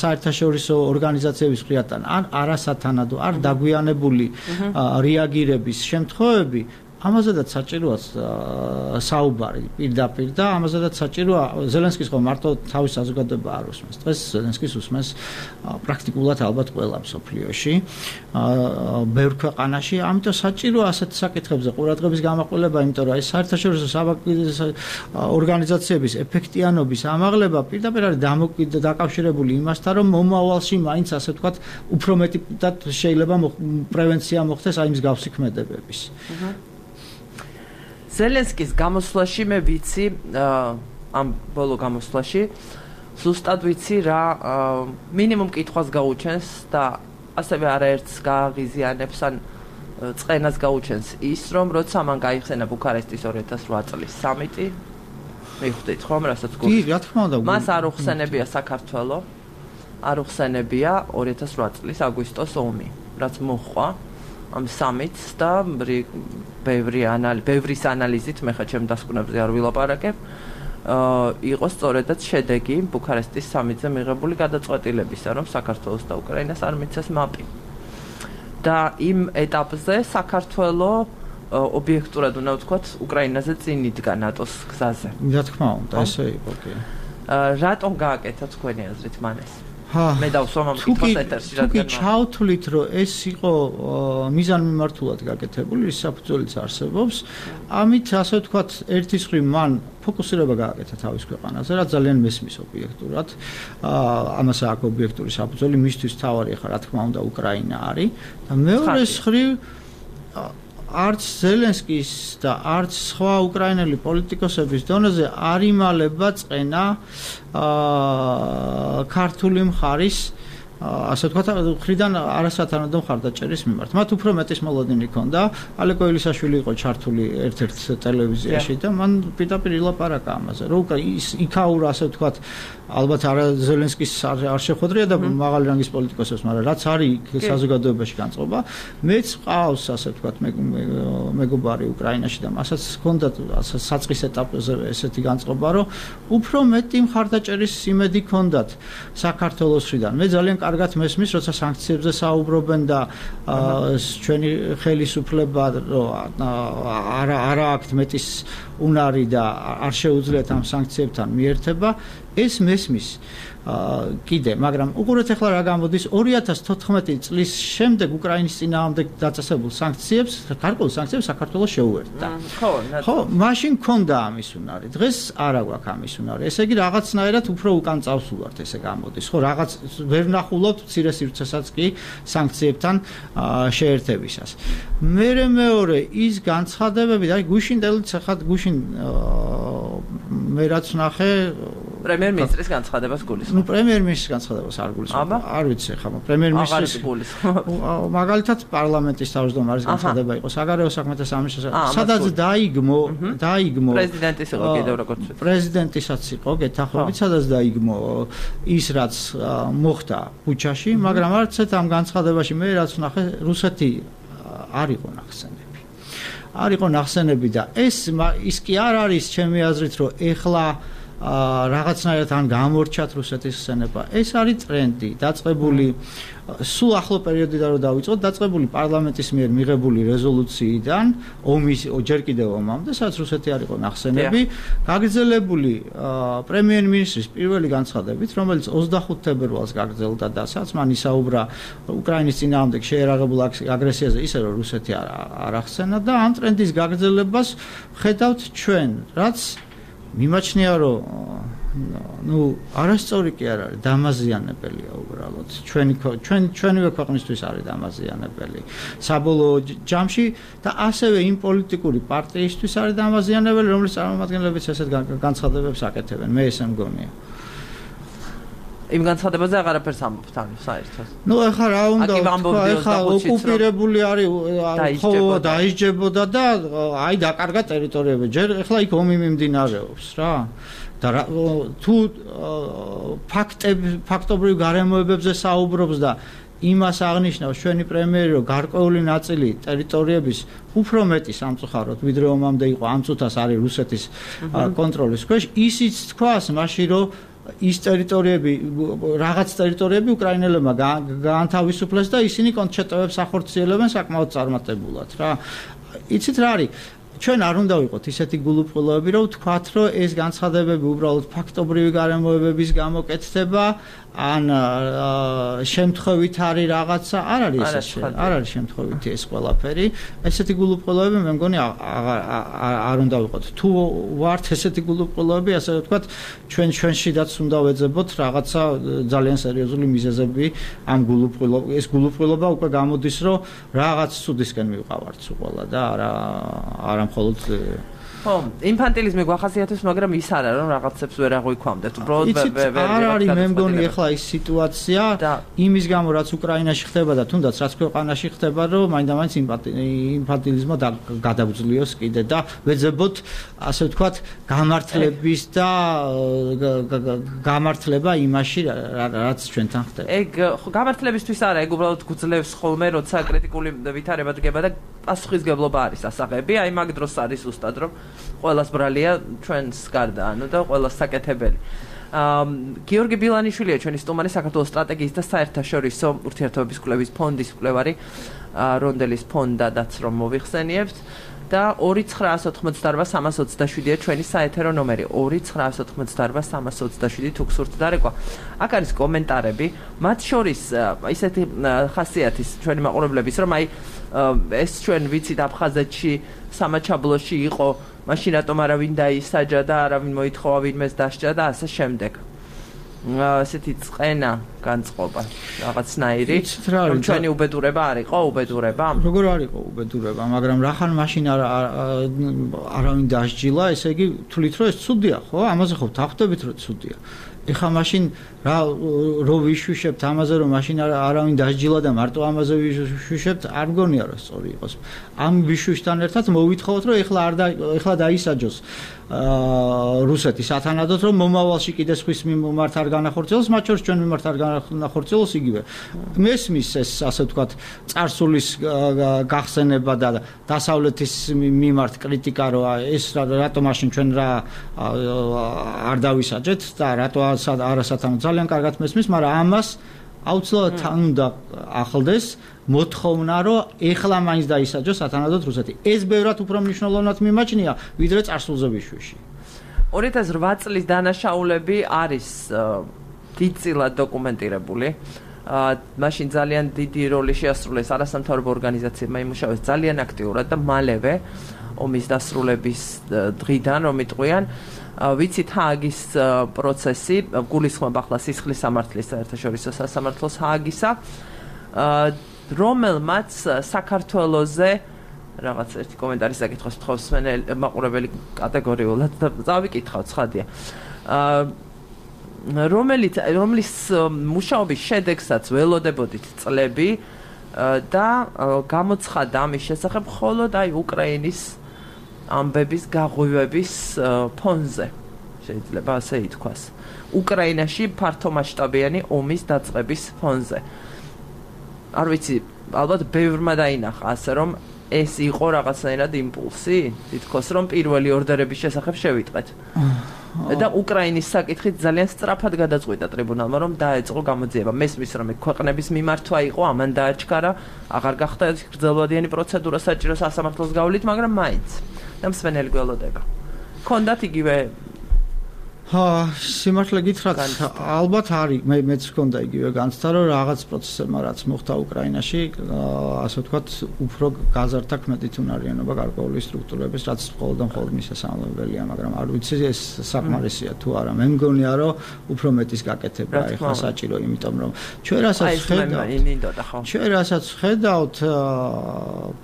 საერთაშორისო ორგანიზაციების მხრიდან ან არასათანადო, არ დაგვიანებული რეაგირების შემთხვევები, ამაზედაც საჭიროა საუბარი პირდაპირ და ამაზედაც საჭიროა ზელენსკის ხო მარტო თავის საზოგადოება არ უსმენს. დღეს ზელენსკის უსმენს პრაქტიკულად ალბათ ყველა მსოფლიოში, ბევრ ქვეყანაში, ამიტომ საჭიროა ასეთ საკითხებზე ყურადღების გამაყოლება, იმიტომ რომ ეს საერთაშორისო ორგანიზაციების ეფექტიანობის ამაღლება პირდაპირ არის დაკავშირებული იმასთან, რომ მომავალში მაინც ასე ვთქვათ, უფრო მეტად შეიძლება პრევენცია მოხდეს აი მსგავსი ქმედებების. ზელენსკის გამოსვლაში მე ვიცი ამ ბოლო გამოსვლაში ზუსტად ვიცი რა მინიმუმ კითხვას გაუჩენს და ასევე არაერთს გააღიზიანებს ან წყენას გაუჩენს ის რომ როცა მან გაიხსენა ბუქარესტის 2008 წლის სამიტი მიხვდით ხომ რასაც გქონდა კი რა თქმა უნდა მას არ უხსენებია საქართველო არ უხსენებია 2008 წლის აგვისტოს ომი რაც მოხდა ამ სამიტს და ბევრის ანალიზით მე ხა ჩემ დასკვნებზე არ ვილაპარაკებ იყო სწორედაც შედეგი ბუქარესტის სამიტზე მიღებული გადაწყვეტილებისა რომ საქართველოს და უკრაინას არ მიცეს მაპი და იმ ეტაპზე საქართველო ობიექტურად უნდა ვთქვათ უკრაინაზე წინ იდგა ნატოს გზაზე რა თქმა უნდა ესე იყო კი რატომ გააკეთა თქვენი აზრით მან ეს მე დავსვამ ამ კითხვას ეთერში რადგან თუ ჩავთვლით რომ ეს იყო მიზანმიმართულად გაკეთებული საფუძველიც არსებობს ამით ასე ვთქვათ ერთის მხრივ მან ფოკუსირება გააკეთა თავის ქვეყანაზე რაც ძალიან მესმის ობიექტურად ამას აქვს ობიექტური საფუძველი მისთვის თავარი ახლა რა თქმა უნდა უკრაინა არის და მეორეს მხრივ არც ზელენსკის და არც სხვა უკრაინელი პოლიტიკოსების დონეზე არ იმალება წენა ქართული მხარის ასე ვთქვათ, ხრიდან არასათანადო მხარდაჭერის მიმართ. მათ უფრო მეტის მოლოდინი ჰქონდა. ალეკო ელისაშვილი იყო ჩართული ერთ-ერთ ტელევიზიაში და მან პირდაპირ ილაპარაკა ამაზე. რომ იქაურა, ასე ვთქვათ, ალბათ არა ზელენსკის არ შეხვედრია და მაღალი რანგის პოლიტიკოსებს, მაგრამ რაც არის საზოგადოებაში განწყობა, მეც ყავს, ასე ვთქვათ, მეგობარი უკრაინაში და მასაც ჰქონდა საწყის ეტაპზე ესეთი განწყობა, რომ უფრო მეტი მხარდაჭერის იმედი ჰქონდათ საქართველოსიდან. მე ძალიან კარგად მესმის, როცა სანქციებზე საუბრობენ და ჩვენი ხელისუფლება არა აქვთ მეტის უნარი და არ შეუძლიათ ამ სანქციებთან მიერთება, ეს მესმის კიდე, მაგრამ უყურეთ ახლა რა გამოდის 2014 წლის შემდეგ უკრაინის წინააღმდეგ დაწესებულ სანქციებს, გარკვეულ სანქციებს საქართველოს შეუერთდა. ხო, მაშინ ჰქონდა ამის უნარი. დღეს არა გვაქვს ამის უნარი. ესე იგი რაღაცნაირად უფრო უკან წავს ვართ, ესე გამოდის. ხო, რაღაც ვერ ნახულობთ მცირე სივრცესაც კი სანქციებთან შეერთებისას. მეორე ის განცხადებები, აი გუშინდელიც ახლა გუშინ მე რაც ნახე პრემიერ-მინისტრის განცხადებას გულისხმობ. ნუ პრემიერ-მინისტრის განცხადებას არ გულისხმობ. არ ვიცი ხა, პრემიერ-მინისტრის მაგალითად პარლამენტის თავმჯდომარის განცხადება იყო საგარეო საქმეთა სამინისტროს. სადაც დაიგმო პრეზიდენტის იყო კიდევ როგორც ვთქვი. პრეზიდენტისაც იყო გეთანხმებით, სადაც დაიგმო ის რაც მოხდა ბუჩაში, მაგრამ არც ერთ ამ განცხადებაში მე რაც ვნახე რუსეთი არ იყო ნახსენები. არ იყო ნახსენები და ის კი არ არის ჩემი აზრით, რომ ეხლა რაღაცნაირად ან გამორჩათ რუსეთის ხსენება. ეს არის ტრენდი, დაწყებული სულ ახლო პერიოდიდან რომ დავიწყოთ, დაწყებული პარლამენტის მიერ მიღებული რეზოლუციიდან, ომის ჯერ კიდევ ომამდე, სადაც რუსეთი არ იყო ნახსენები, გაგრძელებული პრემიერ-მინისტრის პირველი განცხადებით, რომელიც 25 თებერვალს გაგრძელდა და სადაც მან ისაუბრა უკრაინის წინააღმდეგ შეერაღებულ აგრესიაზე, ისე რომ რუსეთი არ ახსენა და ამ ტრენდის გაგრძელებას ხედავთ ჩვენ, რაც მიმაჩნია რომ არასწორი კი არ არის, დამაზიანებელია უბრალოდ. ჩვენივე ქვეყნისთვის არის დამაზიანებელი. საბოლოო ჯამში და ასევე იმ პოლიტიკური პარტიისთვის არის დამაზიანებელი, რომლის წარმომადგენლებიც ესეთ განცხადებებს აკეთებენ. მე ესე მგონია. იმ განცხადებაზე აღარაფერს ამბობთ ანუ საერთოდ. ეხლა რა უნდა ეხლა ოკუპირებული არის, ხო დაისჯებოდა და აი დაკარგა ტერიტორიები. ჯერ ეხლა იქ ომი მიმდინარეობს რა. და თუ ფაქტობრივ გარემოებებზე საუბრობს და იმას აღნიშნავს ჩვენი პრემიერი, რომ გარკვეული ნაწილი ტერიტორიების უფრო მეტი სამწუხაროდ ვიდრე ომამდე იყო, ამ წუთას არის რუსეთის კონტროლის ქვეშ, ისიც თქვას მაშინ რომ ის ტერიტორიები, რაღაც ტერიტორიები უკრაინელებმა გაანთავისუფლეს და ისინი კონჩეტოებს ახორციელებენ საკმაოდ წარმატებულად რა. იცით რა არის? ჩვენ არ უნდა ვიყოთ ისეთი გულუბრყვილოები, რომ ვთქვათ, რომ ეს განცხადებები უბრალოდ ფაქტობრივი გარემოებების გამოკეთდება, ან შემთხვევით არის რაღაცა, არ არის შემთხვევითი ეს ყველაფერი. ესეთი გულუბრყვილოები მე მგონი არ უნდა ვიყოთ. თუ ვართ ესეთი გულუბრყვილოები, ასე ვთქვათ, ჩვენშიდაც უნდა ვეძებოთ რაღაცა ძალიან სერიოზული მიზეზები ამ ეს გულუბრყვილობა უკვე გამოდის, რომ რაღაც ცუდისკენ მივყავართ უყოლა და არა მხოლოდ ხო, ინფანტილიზმი გვახასიათებს, მაგრამ ის არა, რომ რაღაცებს ვერ აღვიქვამდეთ. უბრალოდ არ არის მე მგონი ახლა ის სიტუაცია იმის გამო, რაც უკრაინაში ხდება და თუნდაც რაც ქვეყანაში ხდება, რომ მაინდა-მაინც ინფანტილიზმმა გადაგძლიოს კიდე და ვეძებოთ, ასე ვთქვათ, გამართლების და გამართლება იმაში, რაც ჩვენთან ხდება. ეგ ხო, გამართლებისთვის არა, ეგ უბრალოდ გვძლევს ხოლმე, როცა კრიტიკული ვითარება დგება და პასუხისგებლობა არის ასაღები, აი მაგ დროს არის უბრალოდ რომ ყველას ბრალია ჩვენს გარდა, ანუ და ყველას საკეთებელი. გიორგი ბილანიშვილია ჩვენი სტუმარი, საქართველოს სტრატეგიის და საერთაშორისო ურთიერთობების კვლევის ფონდის მკვლევარი, რონდელის ფონდადაც რომ მოვიხსენიებთ და 2988327-ია ჩვენი საეთერო ნომერი 2988327 თუ გსურთ დარეკვა. აქ არის კომენტარები, მათ შორის ისეთი ხასიათის ჩვენი მაყურებლების, რომ აი ეს ჩვენ ვიცით აფხაზეთში სამაჩაბლოში იყო, მაშინ რატომ არავინ დაისაჯა და არავინ მოითხოვა ვინმეს დასჯა და ასე შემდეგ. ასეთი წყენა განწყობა რაღაცნაირი, რომ ჩვენი უბედურება არ იყო უბედურება. როგორ არ იყო უბედურება, მაგრამ რახან მაშინ არავინ დასჯილა, ესე იგი თვლით რომ ეს ცუდია, ხო? ამაზე ხო ვთანხმდებით რომ ცუდია. ეხლა მაშინ რო ვიშვიშებთ ამაზე რომ მაშინ არავინ დასჯილა და მარტო ამაზე ვიშვიშებთ არ მგონია რომ სწორი იყოს ამ ვიშვიშთან ერთად მოვითხოვოთ რომ ეხლა დაისაჯოს რუსეთი სათანადოდ რომ მომავალში კიდე სხვის მიმართ არ განახორციელოს მათ შორის ჩვენ მიმართ არ განახორციელოს იგივე მესმის ეს ასე ვთქვათ წარსულის გახსენება და დასავლეთის მიმართ კრიტიკა რომ ეს რატო მაშინ ჩვენ რა არ დავისაჯეთ და რატო არასათანადო ძალიან კარგად მესმის მაგრამ ამას აუცილებლად თან უნდა ახლდეს მოთხოვნა რომ ეხლა მაინც დაისაჯოს სათანადოდ რუსეთი ეს ბევრად უფრო მნიშვნელოვნად მიმაჩნია ვიდრე წარსულზე ვიშვიში 2008 წლის დანაშაულები არის დიდწილად დოკუმენტირებული მაშინ ძალიან დიდი როლი შეასრულეს არასამთავრობო ორგანიზაციებმა იმუშავეს ძალიან აქტიურად და მალევე ომის დასრულების დღიდან რომ იტყვიან ვიცით ჰააგის პროცესი გულისხმობ ახლა სისხლის სამართლის საერთაშორისო სასამართლოს ჰააგისა რომელმაც საქართველოზე რაღაც ერთი კომენტარის საკითხოს თხოვს მაყურებელი კატეგორიულად და წავიკითხავ ცხადია რომლის მუშაობის შედეგსაც ველოდებოდით წლები და გამოცხადა ამის შესახებ მხოლოდ აი უკრაინის ამბების გაღვივების ფონზე შეიძლება ასე ითქვას უკრაინაში ფართომასშტაბიანი ომის დაწყების ფონზე არ ვიცი ალბათ ბევრმა დაინახა ასე რომ ეს იყო რაღაცნაირად იმპულსი თითქოს რომ პირველი ორდერების შესახებ შევიტყვეთ და უკრაინის საკითხით ძალიან სწრაფად გადაწყვიტა ტრიბუნალმა რომ დაეწყო გამოძიება მესმის რომ ქვეყნების მიმართვა იყო ამან დააჩქარა აღარ გახდა გრძელვადიანი პროცედურა საჭირო სასამართლოს გავლით მაგრამ მაინც და მსვენელი გველოდება ქონდათ იგივე სიმართლე გითხრათ ალბათ არის მეც მქონდა იგივე განცდა რომ რაღაც პროცესებმა რაც მოხდა უკრაინაში ასე ვთქვათ უფრო გაზარდა ქმედითუნარიანობა გარკვეული სტრუქტურების რაც მხოლოდ მისასალმებელია მაგრამ არ ვიცი ეს საკმარისია თუ არა მე მგონია რომ უფრო მეტის გაკეთება ეხლა საჭირო იმიტომ რომ ჩვენ რასაც ხედავთ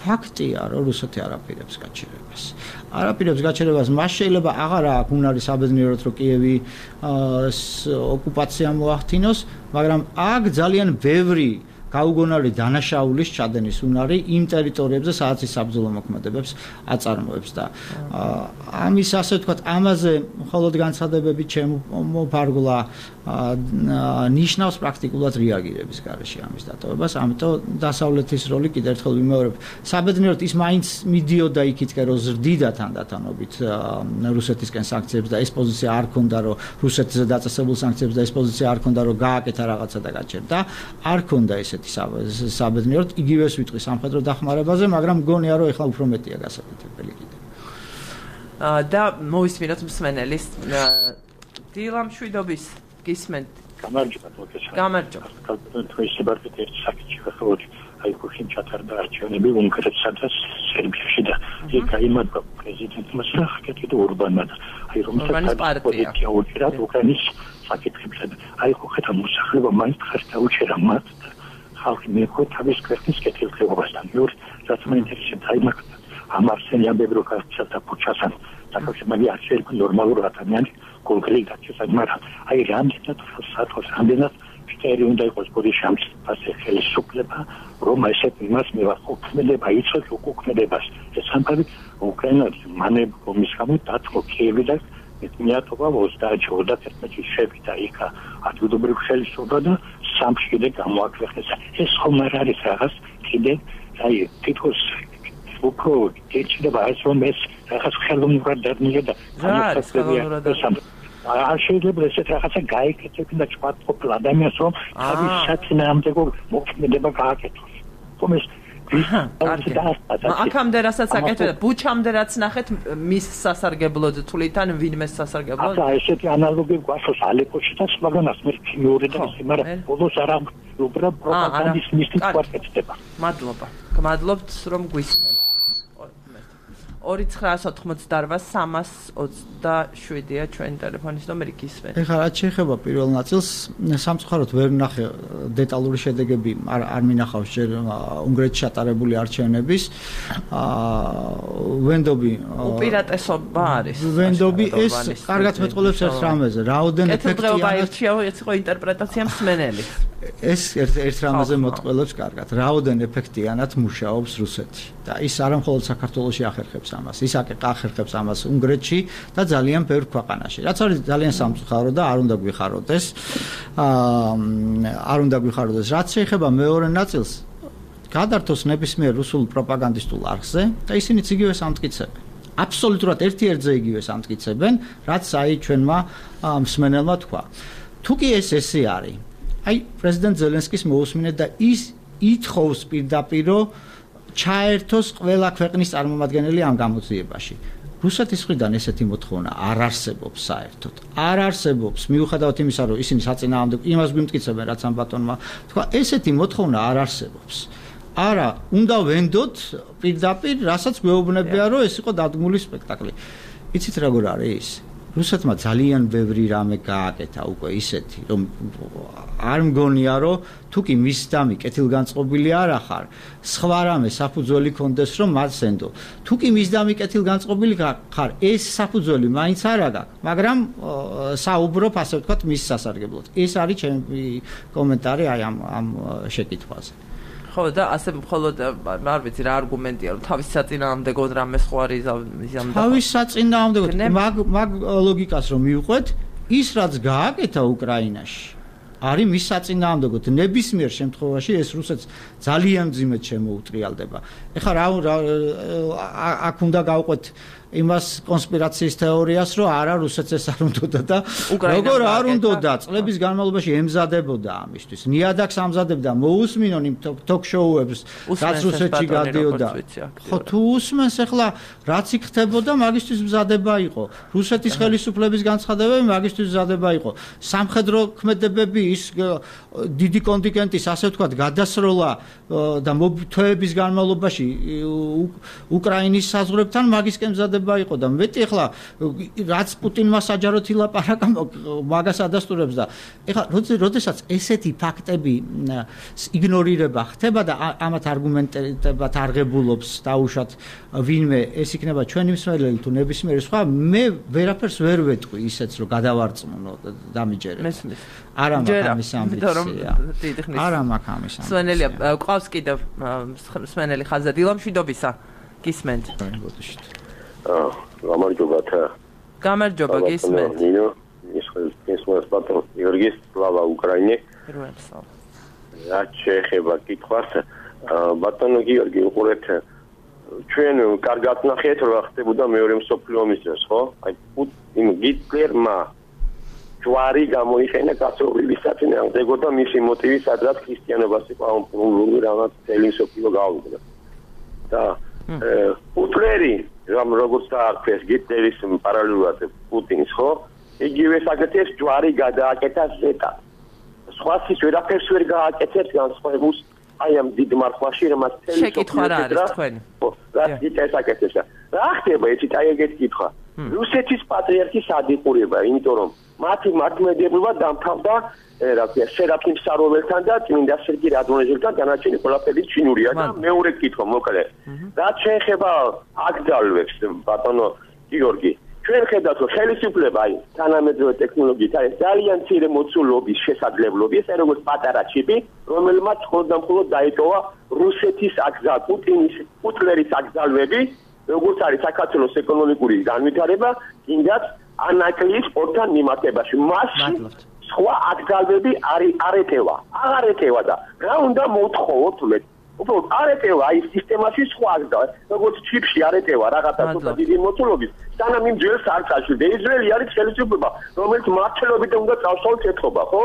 ფაქტია რომ რუსეთი არაპირებს გაჩერებას მას შეიძლება აღარ აქვს უნარი საბედნიეროდ რომ კიევი ოკუპაცია მოახდინოს მაგრამ აქ ძალიან ბევრი გაუგონარი დანაშაულის ჩადენის უნარი იმ ტერიტორიებზე სადაც ის საბრძოლო მოქმედებებს აწარმოებს და ამის ასე ვთქვათ ამაზე მხოლოდ განცხადებები შემოფარგლა ნიშნავს პრაქტიკულად რეაგირების გარეშე ამის დატოვებას ამიტომ დასავლეთის როლი კიდევ ერთხელ ვიმეორებ საბედნიეროდ ის მაინც მიდიოდა იქითკენ რომ ზრდიდა თანდათანობით რუსეთისკენ სანქციებს და ეს პოზიცია არ ქონდა რომ რუსეთზე დაწესებულ სანქციებს და ეს პოზიცია არ ქონდა რომ გააკეთა რაღაცა და გაჩერდა არ ქონდა ესეთი საბედნიეროდ იგივეს ვიტყვი სამხედრო დახმარებაზე მაგრამ მგონია რომ ეხლა უფრო მეტია გასაკეთებელი კიდე და მოვისმინოთ მსმენელის დილა მშვიდობის გისმენთ გამარჯობა თქვენი სიბარგით ერთ საკითხი ხალხი აი ხუშინ ჩატარდა არჩევნები უნგრეთსა და სერბიაში და იქ აიმართა პრეზიდენტმა სახკეთი და ურბანმა აი რომელსაც პოზიცია უჭირა უკრაინის საკითხებზე აი ხო ხეთა მოსახლეობა მაინც ხარ დაუჭერა მათ ხალხი მიიღო თავის ქვეყნის კეთილდღეობასთან მეორე რაც მაინტერესებს აი მაგ ამ არსენიაბებრო კაცთა ფუჩასან საკავშირმალი არ შეიძლება ნორმალურ ადამიანს კონკრეტულად დაწესა მაგრამ აი რამდენად საათოს რამდენად შტერი უნდა იყოს ბოდიშამს ასე ხელისუფლება რომ ესეთ იმას მივახოქმედება იცოთ უკუქმედებას ეს სამყარო უკრაინას მანებ ომის გამო დათმო კიევი და მეათობა 30-31 შევიდა იქ ადგილობრივ ხელისუფლება და სამში კიდე გამოაქვეყნეს ეს ხომ არ არის რაღაც კიდე აი თითქოს უფრო ეჭდება ეს რომ ეს რაღაც ხელოვნურად დადნია და არ შეიძლება ესეთ რაღაცა გაიკეთებინა და ჭვატყოფილ ადამიანს რომ თავის საწინააღმდეგო მოქმედება გააკეთოს ხომ ეს აქამდე რასაც აკეთებდა ბუჩამდე რაც ნახეთ მის სასარგებლოდ თulitan ვინმეს სასარგებლოდ აბა ესეთი ანალოგი გვახსოვს ალეპოში და სხვაგანაც მე მეორე და ისე მაგრამ ბოლოს არა უბრალოდ პროპაგანდის მისტიკა ვაკეთდება მადლობა გმადლობთ რომ გვისმენთ 2988-327-ია ჩვენი ტელეფონის ნომერი გისმენთ. ეხლა რაც შეეხება პირველ ნაწილს, სამწუხაროდ ვერ ვნახე დეტალური შედეგები არ მინახავს ჯერ უნგრეთში ჩატარებული არჩევნების. ვენდობი უპირატესობა არის. ვენდობი ეს კარგად მეტყოლებს ერთ რამეზე. რაოდენ ეფექტიანად იყო ინტერპრეტაცია მსმენელი. ეს ერთ რამაზე მოტყველებს კარგად. რაოდენ ეფექტიანად მუშაობს რუსეთი და ის არა მხოლოდ საქართველოში ახერხებს ამას, ის ახერხებს ამას უნგრეთში და ძალიან ბევრ ქვეყანაში. რაც არის ძალიან სამწუხარო და არ უნდა გვიხაროდეს. რაც შეეხება მეორე ნაწილს, გადართოს ნებისმიერ რუსულ პროპაგანდისტულ არხზე და ისინიც იგივე სამტკიცებენ. აბსოლუტურად ერთ-ერთზე იგივე სამტკიცებენ, რაც აი ჩვენმა მსმენელმა თქვა. თუ კი ესე არის, აი პრეზიდენტ ზელენსკის მოусმინეთ და ის ითხოვს პირდაპირ ჩაერთოს ყველა ქვეყნის წარმომადგენელი ამ გამოძიებაში. რუსეთის მხრიდან ესეთი მოთხოვნა არ არსებობს საერთოდ. არ არსებობს, მიუხედავად იმისა, რომ ისინი საწინააღმდეგო იმას გვიმტკიცებენ, რაც ამ ბატონმა თქვა, ესეთი მოთხოვნა არ არსებობს. არა, უნდა ვენდოთ პირდაპირ, რასაც გვეუბნებია, რომ ეს იყო დადგმული სპექტაკლი. იცით როგორ არის? რუსეთმა ძალიან ბევრი რამე გააკეთა უკვე ისეთი, რომ არ მგონია, რომ თუ კი მის დამი კეთილგანწყობილი არ ახარ, სხვა რამე საფუძველი კონდეს, რომ მას ენდო. თუ კი მის დამი კეთილგანწყობილი ხარ, ეს საფუძველი მაინც არ აქვს, მაგრამ საუბრობ, ასე ვთქვათ, მის სასარგებლოდ. ეს არის ჩემი კომენტარი აი ამ შეკითხვაზე. ხო და ასე მხოლოდ არ ვიცი რა არგუმენტია რომ თავის საწინააღმდეგო რამე სხვა არის თავის საწინააღმდეგო მაგ ლოგიკას რომ მივყვეთ ის რაც გააკეთა უკრაინაში არის მის საწინააღმდეგოდ ნებისმიერ შემთხვევაში ეს რუსეთს ძალიან მძიმედ შემოუტრიალდება ეხლა რა აქ უნდა გავყვეთ იმას კონსპირაციის თეორიას რომ არა რუსეთს ეს არ უნდოდა და როგორ არ უნდოდა წლების განმავლობაში ემზადებოდა ამისთვის ნიადაგს ამზადებდა მოусმინონ იმ თოქ-შოუებს რაც რუსეთში გადიოდა ხო თუ უსმენს ახლა რაც იქ ხდებოდა მაგისთვის მზადება იყო რუსეთის ხელისუფლების განცხადებები მაგისთვის მზადება იყო სამხედრო ქმედებები ის დიდი კონტინგენტის ასე ვთქვათ გადასროლა და თვეების განმავლობაში უკრაინის საზღვრებთან მაგისკენ მზადება იყო და მეტი ახლა რაც პუტინმა საჯაროდ ილაპარაკა მაგას ადასტურებს და ახლა როდესაც ესეთი ფაქტები იგნორირება ხდება და ამათ არგუმენტებად არღებულობს დაუშვათ ვინმე ეს იქნება ჩვენი მსმენელი თუ ნებისმიერი სხვა მე ვერაფერს ვერ ვეტყვი ისეც რომ გადავარწმუნო დამიჯერებ არა მაქვს ამის ამბიცია არა მაქვს ამის ამბიცია მსმენელია ყავს კიდევ მსმენელი ხაზად ილამშვიდობისა გისმენთ გამარჯობა გისმენთ ნინო ის ბატონ გიორგის სლავა უკრაინე რა შეეხება კითხვას ბატონო გიორგი უყურეთ ჩვენ კარგად ნახეთ რა ხდებოდა მეორე მსოფლიო ომის დროს ხო აი იმ გიტლერმა ჯვარი გამოიხენა კაცობრიობის საწინააღმდეგო და მისი მოტივი სადღაც ქრისტიანობას იყო ამპრული რაღაც წელი მსოფლიო გავუდგა და პუტლერი როგორც დაარქვეს გიტლერის პარალელურად პუტინს ხო იგივე საკეთებს ჯვარი გადააკეთა ზეტა სხვათვის ვერაფერს ვერ გააკეთებს განსხვავებულს აი ამ დიდ მარხვაში რომელსაც წელი შეკითხვა რა არის თქვენი რა გიტლერს აკეთებს რა ხდება იცით აი ეგეთი კითხვა რუსეთის პატრიარქის ადიყურება იმიტომ რომ მათი მართლმადიდებლობა დამთავრდა რა ქვია სერაფიმ საროველთან და წმინდა სერგი რადონეჟელთან დანარჩენი ყველაფერი ჩინურია და მეორე კითხვა მოკლედ რაც შეეხება აკრძალვებს ბატონო გიორგი ჩვენ ხედავთ რომ ხელისუფლება აი თანამედროვე ტექნოლოგიით არის ძალიან მცირე მოცულობის შესაძლებლობი ეს როგორც პატარა ჩიპი რომელმაც მხოლოდ დაიტოვა რუსეთის პუტინის პუტლერის აკრძალვები როგორც არის საქართველოს ეკონომიკური განვითარება კიდაც ანაკლიის პორტთან მიმართებაში მასში სხვა აკრძალვები არ ეტევა აღარ ეტევა და რა უნდა მოვთხოვოთ მე უბრალოდ არ ეტევა აი სისტემაში სხვა აკრძალვები როგორც ჩიპში არ ეტევა რაღაცა ცოტა დიდი მოცულობის სანამ იმ ძველს არ წაშვიდა ისრაელი არის ხელისუფლება რომელიც მართლობით უნდა წავსვათ ეთქობა ხო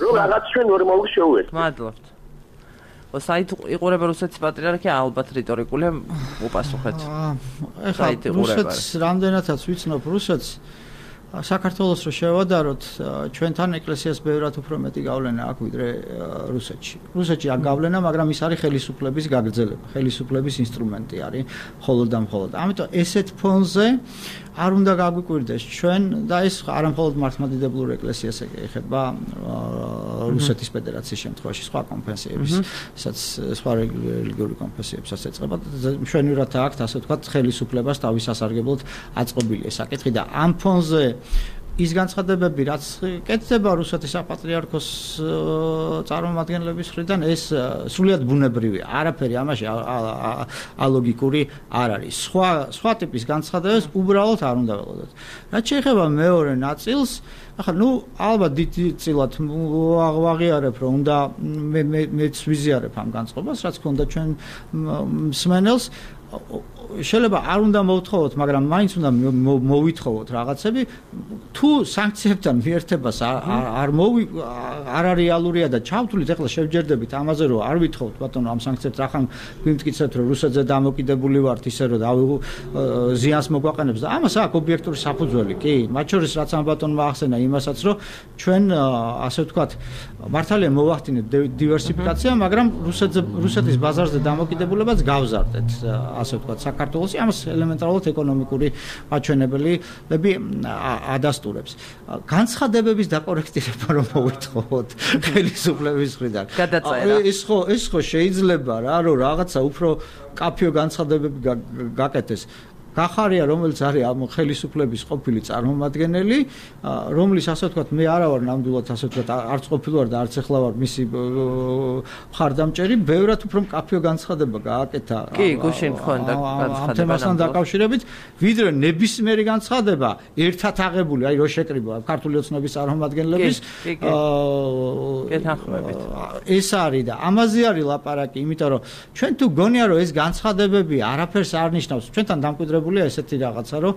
რომ რაღაც ჩვენ ნორმალურ შეუერთდეთ მადლობთ საით იყურება რუსეთის პატრიარქი ალბათ რიტორიკული უპასუხეთ ეხლა რუსეთს რამდენადაც ვიცნობ რუსეთს საქართველოს რო შევადაროთ, ჩვენთან ეკლესიას ბევრად უფრო მეტი გავლენა აქვს ვიდრე რუსეთში. რუსეთში აქ გავლენა, მაგრამ ის არის ხელისუფლების გაგრძელება, ხელისუფლების ინსტრუმენტი არის მხოლოდ და მხოლოდ. ამიტომ ესეთ ფონზე არ უნდა გაგვიკვირდეს ჩვენ და ეს არა მხოლოდ მართლმადიდებლურ ეკლესიას ეხება რუსეთის ფედერაციის შემთხვევაში სხვა კონფესიების, სადაც სხვა რელიგიური კონფესიებსაც ეწყება. მშვენივრად აქვს ასე ვთქვათ ხელისუფლებას თავის სასარგებლოდ აწყობილი ეს საკითხი და ამ ფონზე ის განცხადებები, რაც კეთდება რუსეთის საპატრიარქოს წარმომადგენლების მხრიდან, ეს სრულიად ბუნებრივია. არაფერი ამაში ალოგიკური არ არის. სხვა ტიპის განცხადებებს უბრალოდ არ უნდა ველოდოთ. რაც შეეხება მეორე ნაწილს, ახლა ალბათ დიდწილად ვაღიარებ, რომ უნდა მეც ვიზიარებ ამ განწყობას, რაც ქონდა ჩვენ მსმენელს. შეიძლება არ უნდა მოვთხოვოთ, მაგრამ მაინც უნდა მოვითხოვოთ რაღაცები. თუ სანქციებთან მიერთებას არ რეალურია და ჩავთვლით, ეხლა შევჯერდებით ამაზე, რომ არ ვითხოვთ ბატონო ამ სანქციებს, ახლა გვიმტკიცებთ, რომ რუსეთზე დამოკიდებული ვართ, ისე რომ ზიანს მოგვაყენებს და ამას აქვს ობიექტური საფუძველი, კი, მათ შორის რაც ამ ბატონმა ახსენა იმასაც, რომ ჩვენ ასე ვთქვათ, მართალია მოვახდინეთ დივერსიფიკაცია, მაგრამ რუსეთის ბაზარზე დამოკიდებულებაც გავზარდეთ, ასე ვთქვათ, საქართველოსი ამას ელემენტარულად ეკონომიკური მაჩვენებლები ადასტურებს. განცხადებების დაკორექტირება რომ მოვითხოვოთ ხელისუფლების მხრიდან. ეს ხო შეიძლება რა, რომ რაღაცა უფრო კაფეო განცხადებები გაკეთეს. გახარია, რომელიც არის ამ ხელისუფლების ყოფილი წარმომადგენელი, რომლის ასე ვთქვათ, მე არა ვარ ნამდვილად ასე ვთქვათ, არც ყოფილი ვარ და არც ახლა ვარ მისი მხარდამჭერი, ბევრად უფრო კაფეო განცხადება გააკეთა. კი, გუშინ ხონდა განცხადება. ამ თემასთან დაკავშირებით, ვიდრე ნებისმიერი განცხადება ერთად აღებული, აი რო შეკრიბა ქართული ოცნების წარმომადგენლების ეს არის და ამაზე არის ლაპარაკი, იმიტომ რომ ჩვენ თუ გონია რომ ეს განცხადებები არაფერს არ ნიშნავს, ჩვენთან დამკვიდრებულია ესეთი რაღაცა, რომ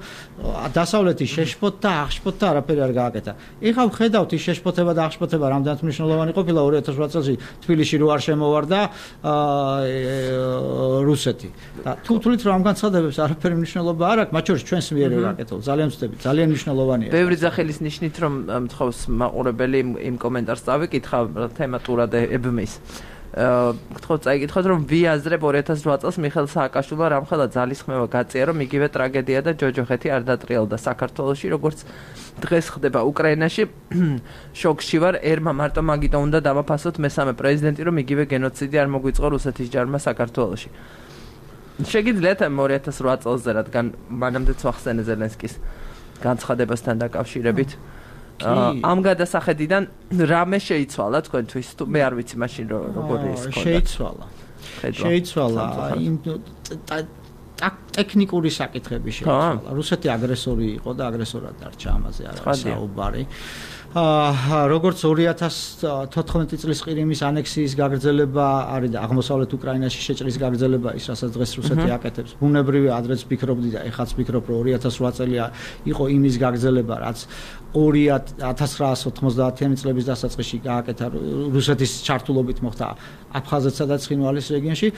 დასავლეთი შეშფოთდა, აღშფოთდა, არაფერი არ გააკეთა. ეხლა ვხედავთ ის შეშფოთება და აღშფოთება რამდენად მნიშვნელოვანი ყოფილა 2008 წელს თბილისში რო არ შემოვარდა რუსეთი. და თუ თulit რომ ამ განცხადებებს არაფერი მნიშვნელობა არ აქვს, მათ შორის ჩვენს მიერე გაკეთო. ძალიან ვწდები, ძალიან მნიშვნელოვანია. ბევრი ძახილის ნიშნით რომ მთხოვს მაყურებელი იმ კომენტარს წავიკითხა თემატურად ებმის. გთხოვთ წაიკითხოთ რომ ვიაზრებ 2008 წელს მიხეილ სააკაშვილმა რამხელა ძალისხმევა გაწია რომ იგივე ტრაგედია და ჯოჯოხეთი არ დატრიალდა საქართველოში როგორც დღეს ხდება უკრაინაში შოკში ვარ ერმა მარტო მაგიტო უნდა დამაფასოთ მესამე პრეზიდენტი რომ იგივე გენოციდი არ მოგვიწყო რუსეთის ჯარმა საქართველოში შეგიძლიათ 2008 წელზე რადგან მანამდეც ვახსენე ზელენსკის განცხადებასთან დაკავშირებით ამ გადასახედიდან რამე შეიცვალა თქვენთვის თუ მე არ ვიცი მაშინ როგორი ის ქონდა შეიცვალა იმ ტექნიკური საკითხები შეიცვალა რუსეთი აგრესორი იყო და აგრესორად დარჩა ამაზე არა საუბარი როგორც 2014 წლის ყირიმის ანექსიის გაგრძელება არის და აღმოსავლეთ უკრაინაში შეჭრის გაგრძელება ის რასაც დღეს რუსეთი აკეთებს ბუნებრივია ადრეც ფიქრობდი და ეხაც ფიქრობ რომ 2008 წელი იყო იმის გაგრძელება რაც 1990-იანი წლების დასაწყისში გააკეთა რუსეთის ჩართულობით მოხდა აფხაზეთსა და ცხინვალის რეგიონში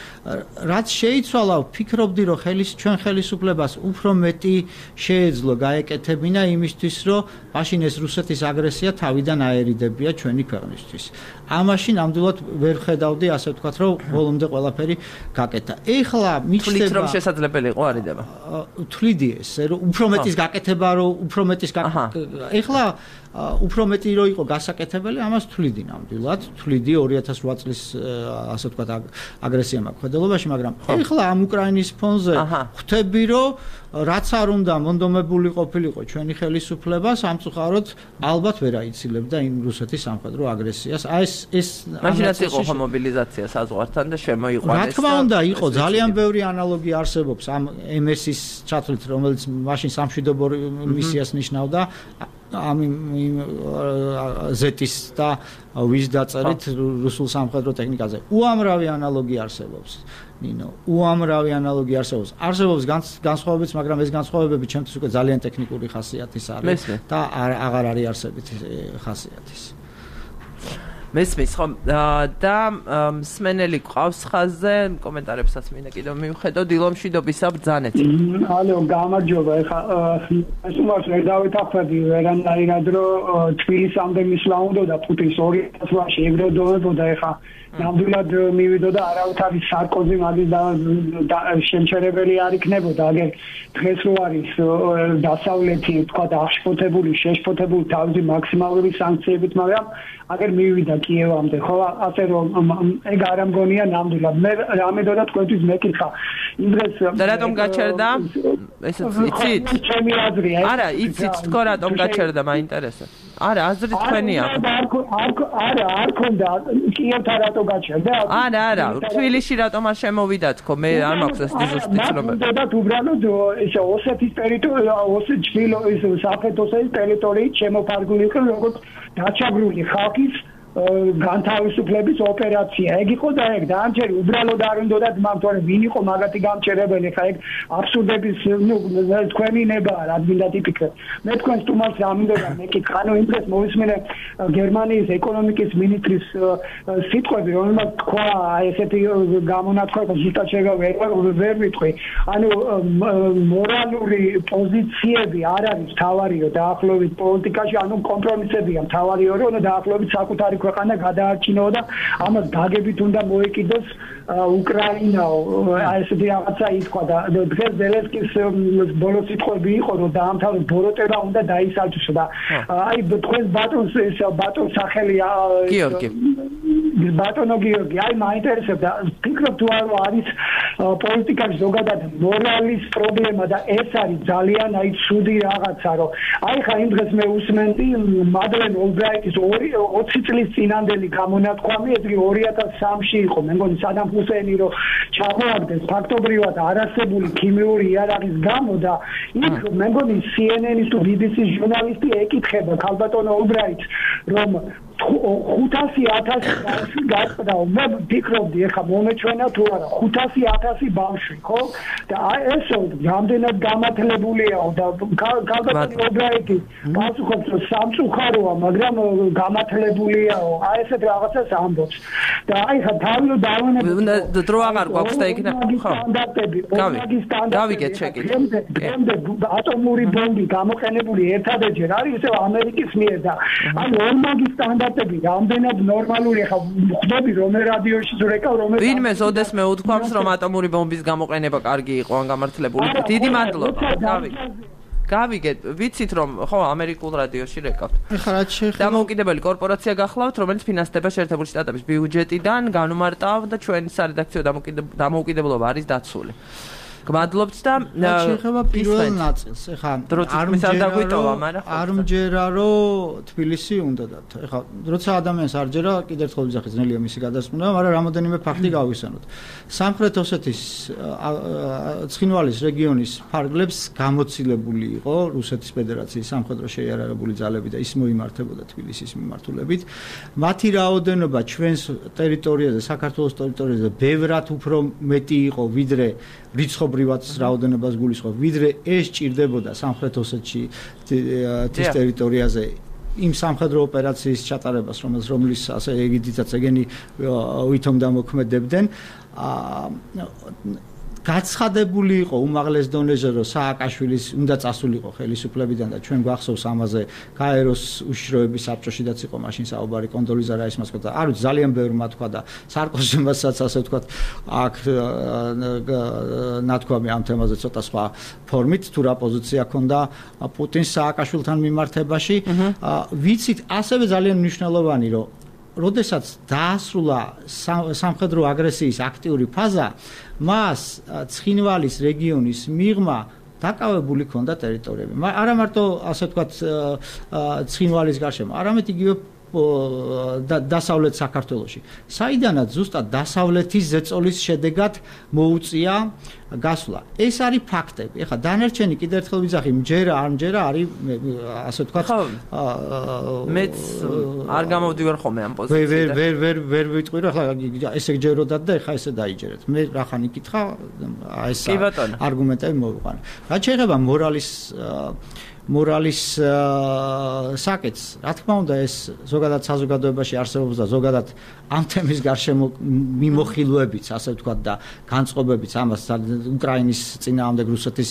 რაც შეიცვალა ფიქრობდი რომ ჩვენ ხელისუფლებას უფრო მეტი შეეძლო გაეკეთებინა იმისთვის რომ მაშინ ეს რუსეთის აგრესია თავიდან აერიდებია ჩვენი ქვეყნისთვის ამაში ნამდვილად ვერ ხედავდი ასე ვთქვათ რომ ბოლომდე ყველაფერი გაკეთა ეხლა მიჩნდება რომ შესაძლებელი იყო არიდება თვლიდი ეს რომ უფრო მეტის გაკეთება რომ უფრო მეტის ეხლა უფრო მეტი რო იყო გასაკეთებელი ამას თვლიდი ნამდვილად თვლიდი 2008 წლის ასე ვთქვათ აგრესია მაქვს მაგრამ ეხლა ამ უკრაინის ფონზე ხვდები რომ რაც არ უნდა მონდომებული ყოფილიყო ჩვენი ხელისუფლება სამწუხაროდ ალბათ ვერ აიცილებდა იმ რუსეთის სამხედრო აგრესიას აი ეს მაშინაც იყო მობილიზაცია საზღვართან და შემოიყვანეს რა თქმა უნდა იყო ძალიან ბევრი ანალოგი არსებობს ამ MS-ის ჩათვლით რომელიც მაშინ სამშვიდობო მისიას ნიშნავდა ამ ზეთის და ვის დაწერით რუსულ სამხედრო ტექნიკაზე უამრავი ანალოგი არსებობს ნინო უამრავი ანალოგი არსებობს განსხვავებიც მაგრამ ეს განსხვავებები ჩემთვის უკვე ძალიან ტექნიკური ხასიათის არის და აღარ არის არსებითი ხასიათის მესმის ხო და მსმენელი ყავს ხაზზე კომენტარებსაც მინდა კიდევ მივხედო დილომშვიდობისა ბრძანეთ. ალო გამარჯობა ეხა ეს უმას ვერ დავეთახმები ვერანაირად რომ თბილისამდე მისვლა უნდა და პუტინს 200 წლში ეგროდოვებოდა ეხა ნამდვილად მივიდოდა არავითარი სარკოზი მაგის და შემჩერებელი არ იქნებოდა აგერ დღეს რო არის დასავლეთი თქვა და აღშფოთებული შეშფოთებული თავისი მაქსიმალური სანქციებით მაგრამ აგერ მივიდა კიევამდე ხო ასე რომ ეგ არ ამგონია ნამდვილად მე რამედოდა თქვენთვის მეკითხა იმ დღეს და რატომ გაჩერდა ესეც იცით ჩემი აზრია არა იცით თქო რატომ გაჩერდა მაინტერესებს არა აზრი თქვენია არ ქონდა კიევთან რატო გაჩერდა არა თბილისში რატომ არ შემოვიდა თქო მე არ მაქვს ეს ზუსტი ცნობები და უბრალოდ ესე ოსეთის ტერიტორია ოსეთის საფრთხის ტერიტორიით შემოფარგლული იყო როგორც დაჩაგრული ხალხის განთავისუფლების ოპერაცია. ეგ იყო და ეგ დაამჩერი უბრალოდ არ უნდათ მართლაც ვინ იყო მაგათი გამჩერებელი ხა ეგ აბსურდების თქვენი ნებაა რა გინდა ტიპიკა. მე თქვენ სტუმარს რამინდოდა მეკითხა იმ დღეს მოვისმინე გერმანიის ეკონომიკის მინისტრის სიტყვები რომელმაც თქვა ესეთი გამონათქვამი ზუსტად ვერ ვიტყვი. ანუ მორალური პოზიციები არ არის თავარიო დაახლოებით პოლიტიკაში ანუ კომპრომისებია თავარიო რომ დაახლოებით საკუთარი ქვეყანა გადაარჩინო და ამას გაგებით უნდა მოეკიდოს უკრაინაო ესეთი რაღაცა ითქვა და დღეს ზელენსკის ბოლო სიტყვები იყო რომ დაამთავროს ბოროტება უნდა დაისალჩოს და აი თქვენ ბატონს სახელია გიორგი ბატონო გიორგი აი მაინტერესებდა ფიქრობ თუ არ არის პოლიტიკაში ზოგადად მორალის პრობლემა და ეს არის ძალიან აი ცუდი რაღაცა რომ აი ხა იმ დღეს მე უსმენდი მადლენ ოლბრაიტის 20 წლის წინანდელი გამონათქვამი ეს 2003-ში იყო მე მგონი სადამ ჰუსეინი რომ ჩამოაგდეს ფაქტობრივად არასებული ქიმიური იარაღის გამო და იქ მე მგონი CNN-ის თუ BBC-ის ჟურნალისტი ეკითხება ქალბატონო ოლბრაიტს რომ 500,000 გაწყდა მე ვფიქრობდი ეხა მომეჩვენა თუ არა 500,000 ბავშვი ხო და ეს რამდენად გამართლებულია და ქალბატონო ოლბრაიტი პასუხობს რომ სამწუხაროა მაგრამ გამართლებულია აი ესეთ რაღაცას ამბობს და აი ხა თავი დავანებო დრო აღარ გვაქვს და იქნა ხო გავიგეთ შეკითხვა ატომური ბომბი გამოყენებული ერთადერთჯერ არის ისე ამერიკის მიერ და აი ორმაგი სტანდარტები რამდენად ნორმალურია ხა ხვდები რომ რადიოში ზურეკავ რომ ვინმე ოდესმე უთქვამს რომ ატომური ბომბის გამოყენება კარგი იყო ან გამართლებული დიდი მადლობა გავიგეთ ვიცით რომ ხო ამერიკულ რადიოში რეკავთ ეხლა რაც შეეხება დამოუკიდებელი კორპორაცია გახლავთ რომელიც ფინანსდება შეერთებული შტატების ბიუჯეტიდან განუმარტავ და ჩვენი სარედაქციო დამოუკიდებლობა არის დაცული გმადლობთ და შეეხება პირველ ნაწილს ეხლა არ მჯერა რომ თბილისი უნდა და ეხლა როცა ადამიანს არ ჯერა კიდევ ერთხელ ვიზახი ძნელია მისი გადასმნა მაგრამ რამოდენიმე ფაქტი გავიხსენოთ სამხრეთ ოსეთის ცხინვალის რეგიონის ფარგლებს გამოცილებული იყო რუსეთის ფედერაციის სამხედრო შეიარაღებული ძალები და ის მოიმართებოდა თბილისის მიმართულებით მათი რაოდენობა ჩვენს ტერიტორიაზე საქართველოს ტერიტორიაზე ბევრად უფრო მეტი იყო ვიდრე რიცხობრივად რაოდენობას გულისხმობ ვიდრე ეს ჭირდებოდა სამხრეთ ოსეთში თის ტერიტორიაზე იმ სამხედრო ოპერაციის ჩატარებას რომლის ასე ეგიდითაც ეგენი ვითომ დამოქმედებდნენ გაცხადებული იყო უმაღლეს დონეზე რომ სააკაშვილის უნდა წასულიყო ხელისუფლებიდან და ჩვენ გვახსოვს ამაზე გაეროს უშიშროების საბჭოშიდაც იყო მაშინ საუბარი კონდოლიზა რაისმას და არ ვიცი ძალიან ბევრმა თქვა და სარკოზიმასაც ასე თქვა აქ ნათქვამი ამ თემაზე ცოტა სხვა ფორმით თუ რა პოზიცია ჰქონდა პუტინს სააკაშვილთან მიმართებაში ვიცით ასევე ძალიან მნიშვნელოვანი რომ როდესაც დაასრულა სამხედრო აგრესიის აქტიური ფაზა მას ცხინვალის რეგიონის მიღმა დაკავებული ჰქონდა ტერიტორიები. არა მარტო ასე ვთქვათ ცხინვალის გარშემო, არამედ იგივე დასავლეთ საქართველოში. საიდანაც ზუსტად დასავლეთის ზეწოლის შედეგად მოუწია გასვლა. ეს არის ფაქტები. ეხლა დანარჩენი კიდევ ერთხელ ვიძახი, მჯერა არ მჯერა არის ასე ვთქვათ მეც არ გამოვდივარ ხოლმე ამ პოზიციიდან. ვერ ვიტყვი რომ ეხლა ესე გჯეროდათ და ეხლა ესე დაიჯერეთ. მე რახან იკითხა ეს არგუმენტები მოვიყვანე. რაც შეეხება მორალის მორალის საკეთს, რა თქმა უნდა, ეს ზოგადად საზოგადოებაში არსებობს და ზოგადად ამ თემის გარშემო მიმოხილვებიც, ასე ვთქვათ და განწყობებიც ამას უკრაინის წინააღმდეგ რუსეთის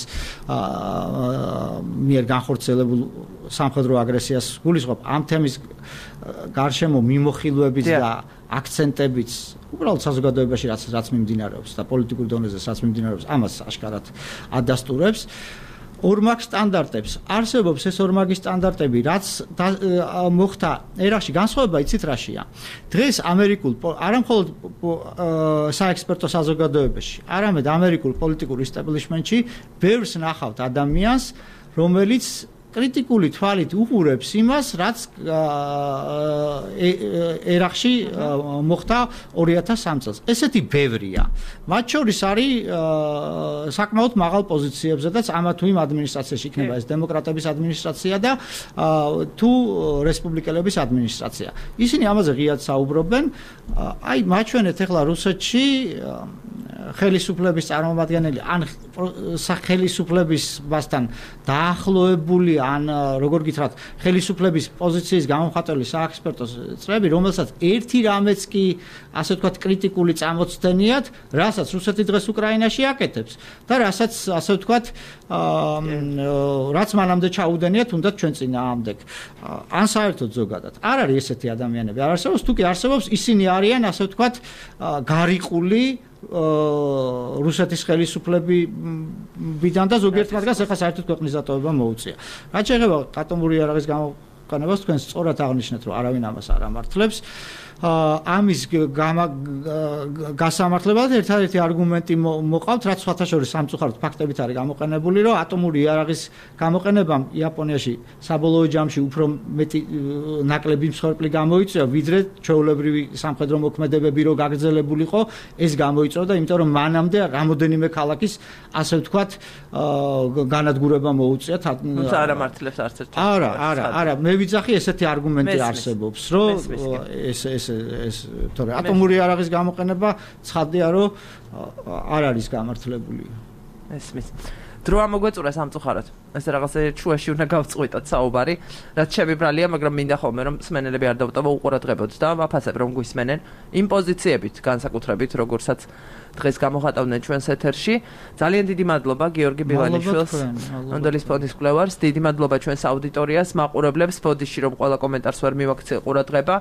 მიერ განხორციელებულ სამხედრო აგრესიას გულისხმობ. ამ თემის გარშემო მიმოხილვებიც და აქცენტებიც უბრალოდ საზოგადოებაში რაც მიმდინარეობს და პოლიტიკურ დონეზე რაც მიმდინარეობს, ამას აშკარად ადასტურებს. ორმაგ სტანდარტებს არსებობს ეს ორმაგი სტანდარტები, რაც მოხდა ერაში, განსხვავება იცით რაშია. დღეს ამერიკულ არა მხოლოდ საექსპერტო საზოგადოებაში, არამედ ამერიკულ პოლიტიკურ ისტაბლიშმენტში ბევრს ნახავთ ადამიანს, რომელიც კრიტიკული თვალით უყურებს იმას, რაც ერახში მოხდა 2003 წელს. ესეთი ბევრია. მათ შორის არის საკმაოდ მაღალ პოზიციებზედაც ამა თუ იმ ადმინისტრაციაში იქნება ეს დემოკრატების ადმინისტრაცია და თუ რესპუბლიკელების ადმინისტრაცია. ისინი ამაზე ღიად საუბრობენ. აი მაჩვენეთ ახლა რუსეთში ხელისუფლების წარმომადგენელი ან ხელისუფლებასთან დაახლოებული ან როგორ გითხრათ ხელისუფლების პოზიციის გამომხატველი საექსპერტო წრეები, რომელსაც ერთი რამეც კი ასე ვთქვათ კრიტიკული წამოწდენიათ, რასაც რუსეთი დღეს უკრაინაში აკეთებს და რასაც ასე ვთქვათ რაც მანამდე ჩაუდენია თუნდაც ჩვენ წინააღმდეგ. ან საერთოდ ზოგადად არ არის ესეთი ადამიანები, არ არსებობს, თუ კი არსებობს, ისინი არიან ასე ვთქვათ გარიყული რუსეთის ხელისუფლებიდან და ზოგიერთ მათგანს ახლა საერთოდ ქვეყნის დატოვება მოუწია. რაც შეეხება ატომური იარაღის გამოყენებას, თქვენ სწორად აღნიშნეთ, რომ არავინ ამას არ ამართლებს. ამის გასამართლებად ერთადერთი არგუმენტი მოყავთ, რაც სხვათა შორის სამწუხაროდ ფაქტებით არის გამოყენებული, რომ ატომური იარაღის გამოყენებამ იაპონიაში საბოლოო ჯამში უფრო მეტი ნაკლები მსხვერპლი გამოიწვია, ვიდრე ჩვეულებრივი სამხედრო მოქმედებები რო გაგრძელებულიყო, ეს გამოიწვია, იმიტომ რომ მანამდე რამოდენიმე ქალაქის ასე ვთქვათ განადგურება მოუწია. თუმცა არ ამართლებს არც ერთ. არა, მე ვიცახი ესეთი არგუმენტი არსებობს, რომ ეს თორე ატომური იარაღის გამოყენება ცხადია, რომ არ არის გამართლებული. ესმის. დრო ამოგვეწურა სამწუხაროდ. ეს რაღაცა ჩუაში უნდა გავწყვიტოთ საუბარი, რაც შემიბრალია, მაგრამ მინდა ხოლმე რომ სმენელები არ დავტოვო უყურადღებოთ და ვაფასებ რომ გვისმენენ იმ პოზიციებით, განსაკუთრებით, როგორცაც დღეს გამოხატავდნენ ჩვენს ეთერში. ძალიან დიდი მადლობა გიორგი ბილანიშვილს, ნონდელის ფონდის კვლევარს, დიდი მადლობა ჩვენს აუდიტორიას, მაყურებლებს, ფოდიში რომ ყველა კომენტარს ვერ მივაქცია ყურადღება.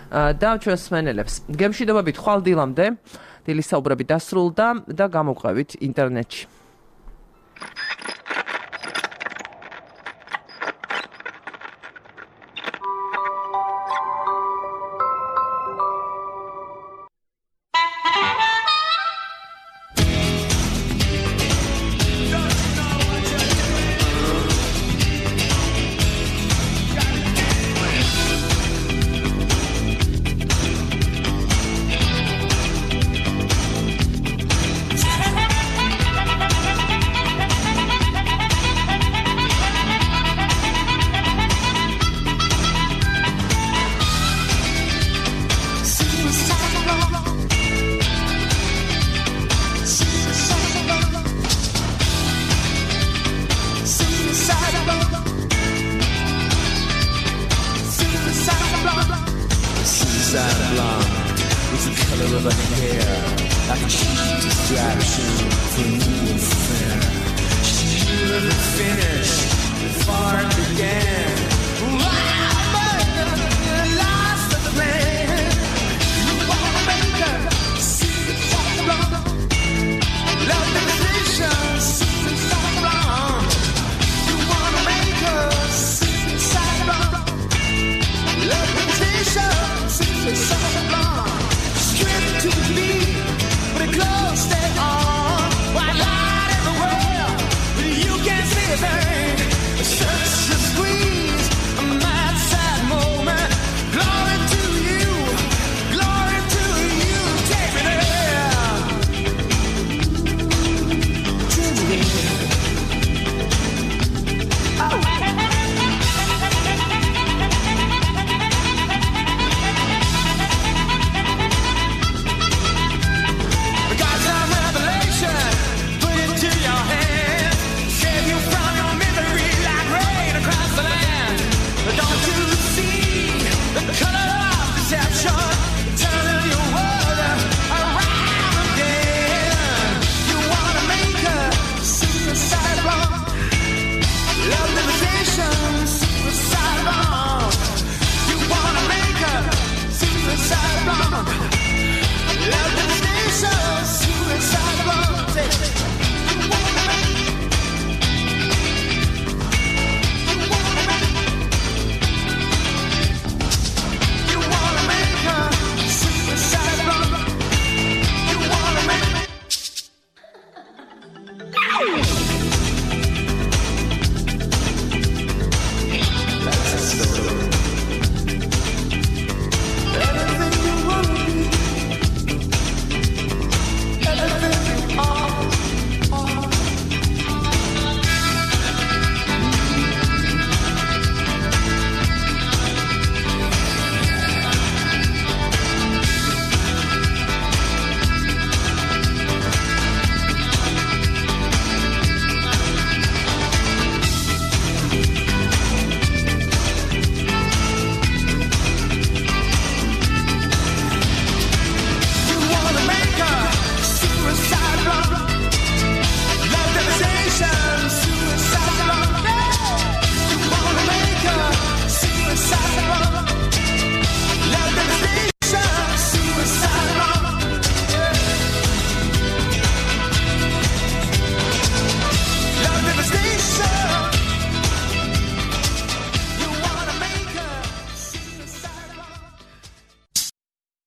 და ჩვენს სმენელებს. გემშვიდობებით ხვალ დილამდე, დილის საუბრები დასრულდა და გამოვყევით ინტერნეტში. Love